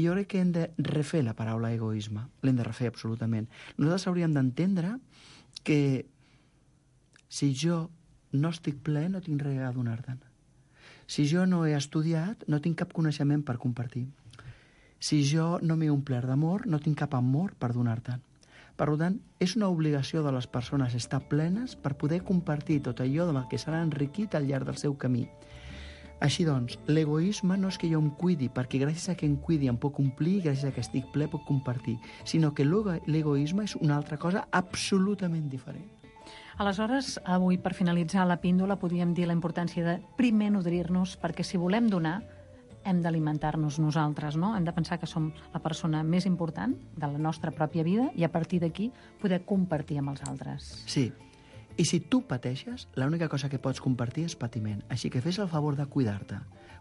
I jo crec que hem de refer la paraula egoisme. L'hem de refer absolutament. Nosaltres hauríem d'entendre que si jo no estic ple, no tinc res a donar-te'n. Si jo no he estudiat, no tinc cap coneixement per compartir. Si jo no m'he omplert d'amor, no tinc cap amor per donar-te'n. Per tant, és una obligació de les persones estar plenes per poder compartir tot allò amb el que s'ha enriquit al llarg del seu camí. Així doncs, l'egoisme no és que jo em cuidi, perquè gràcies a que em cuidi em puc omplir, gràcies a que estic ple puc compartir, sinó que l'egoisme és una altra cosa absolutament diferent. Aleshores, avui, per finalitzar la píndola, podríem dir la importància de primer nodrir-nos, perquè si volem donar, hem d'alimentar-nos nosaltres, no? Hem de pensar que som la persona més important de la nostra pròpia vida i a partir d'aquí poder compartir amb els altres. Sí. I si tu pateixes, l'única cosa que pots compartir és patiment. Així que fes el favor de cuidar-te.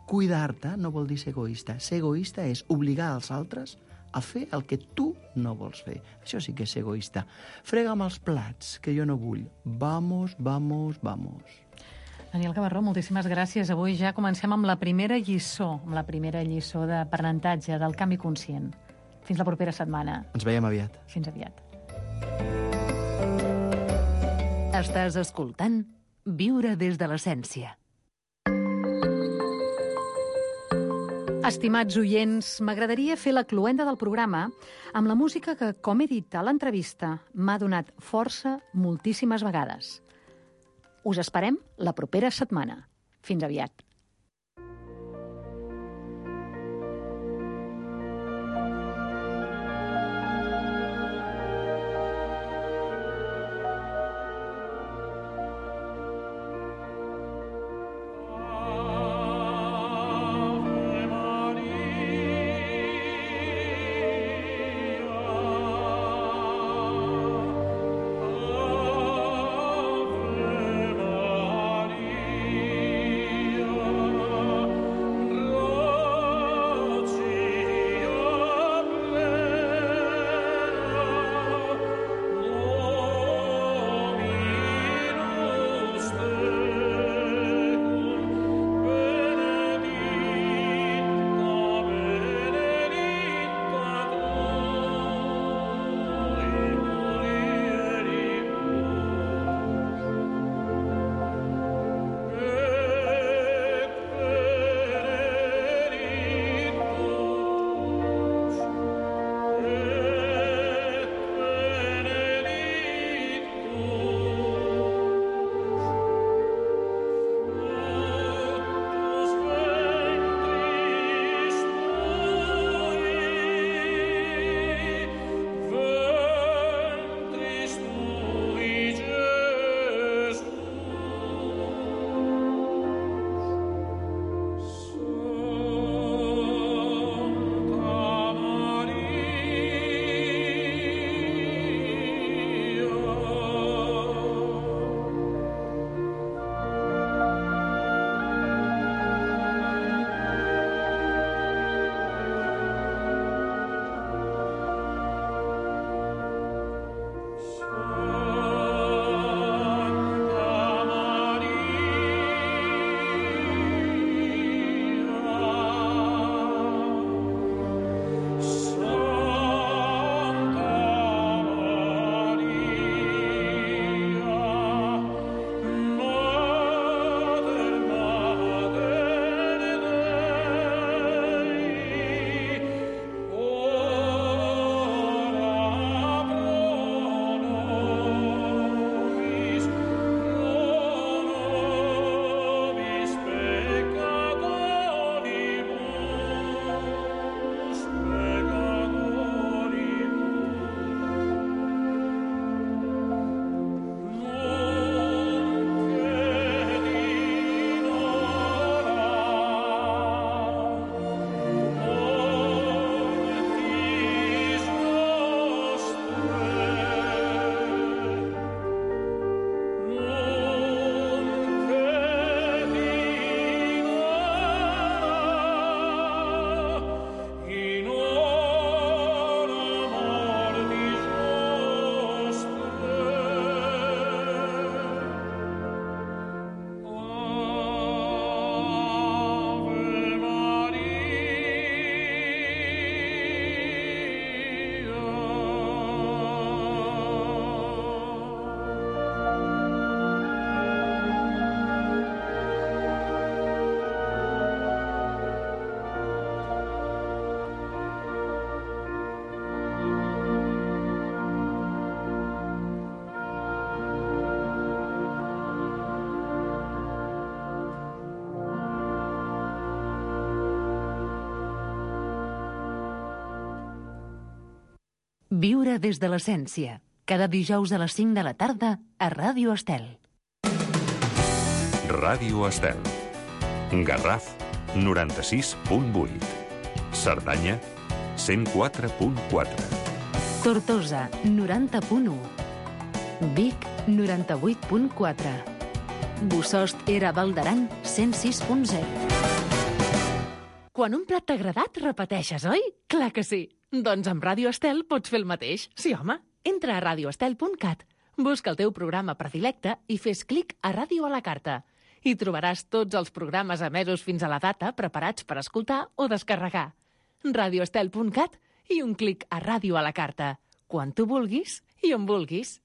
Cuidar-te no vol dir ser egoista. Ser egoista és obligar els altres a fer el que tu no vols fer. Això sí que és ser egoista. Frega'm els plats, que jo no vull. Vamos, vamos, vamos. Daniel Gavarró, moltíssimes gràcies. Avui ja comencem amb la primera lliçó, d'aprenentatge del canvi conscient. Fins la propera setmana. Ens veiem aviat. Fins aviat. Estàs escoltant Viure des de l'essència. Estimats oients, m'agradaria fer la cloenda del programa amb la música que, com he dit a l'entrevista, m'ha donat força moltíssimes vegades. Us esperem la propera setmana. Fins aviat. Viure des de l'essència. Cada dijous a les 5 de la tarda a Ràdio Estel. Ràdio Estel. Garraf, 96.8. Cerdanya, 104.4. Tortosa, 90.1. Vic, 98.4. Bossòst era Val d'Aran, 106.0. Quan un plat t'ha agradat, repeteixes, oi? Clar que sí. Doncs amb Ràdio Estel pots fer el mateix. Sí, home. Entra a radioestel.cat, busca el teu programa predilecte i fes clic a Ràdio a la carta. Hi trobaràs tots els programes emesos fins a la data preparats per escoltar o descarregar. radioestel.cat i un clic a Ràdio a la carta. Quan tu vulguis i on vulguis.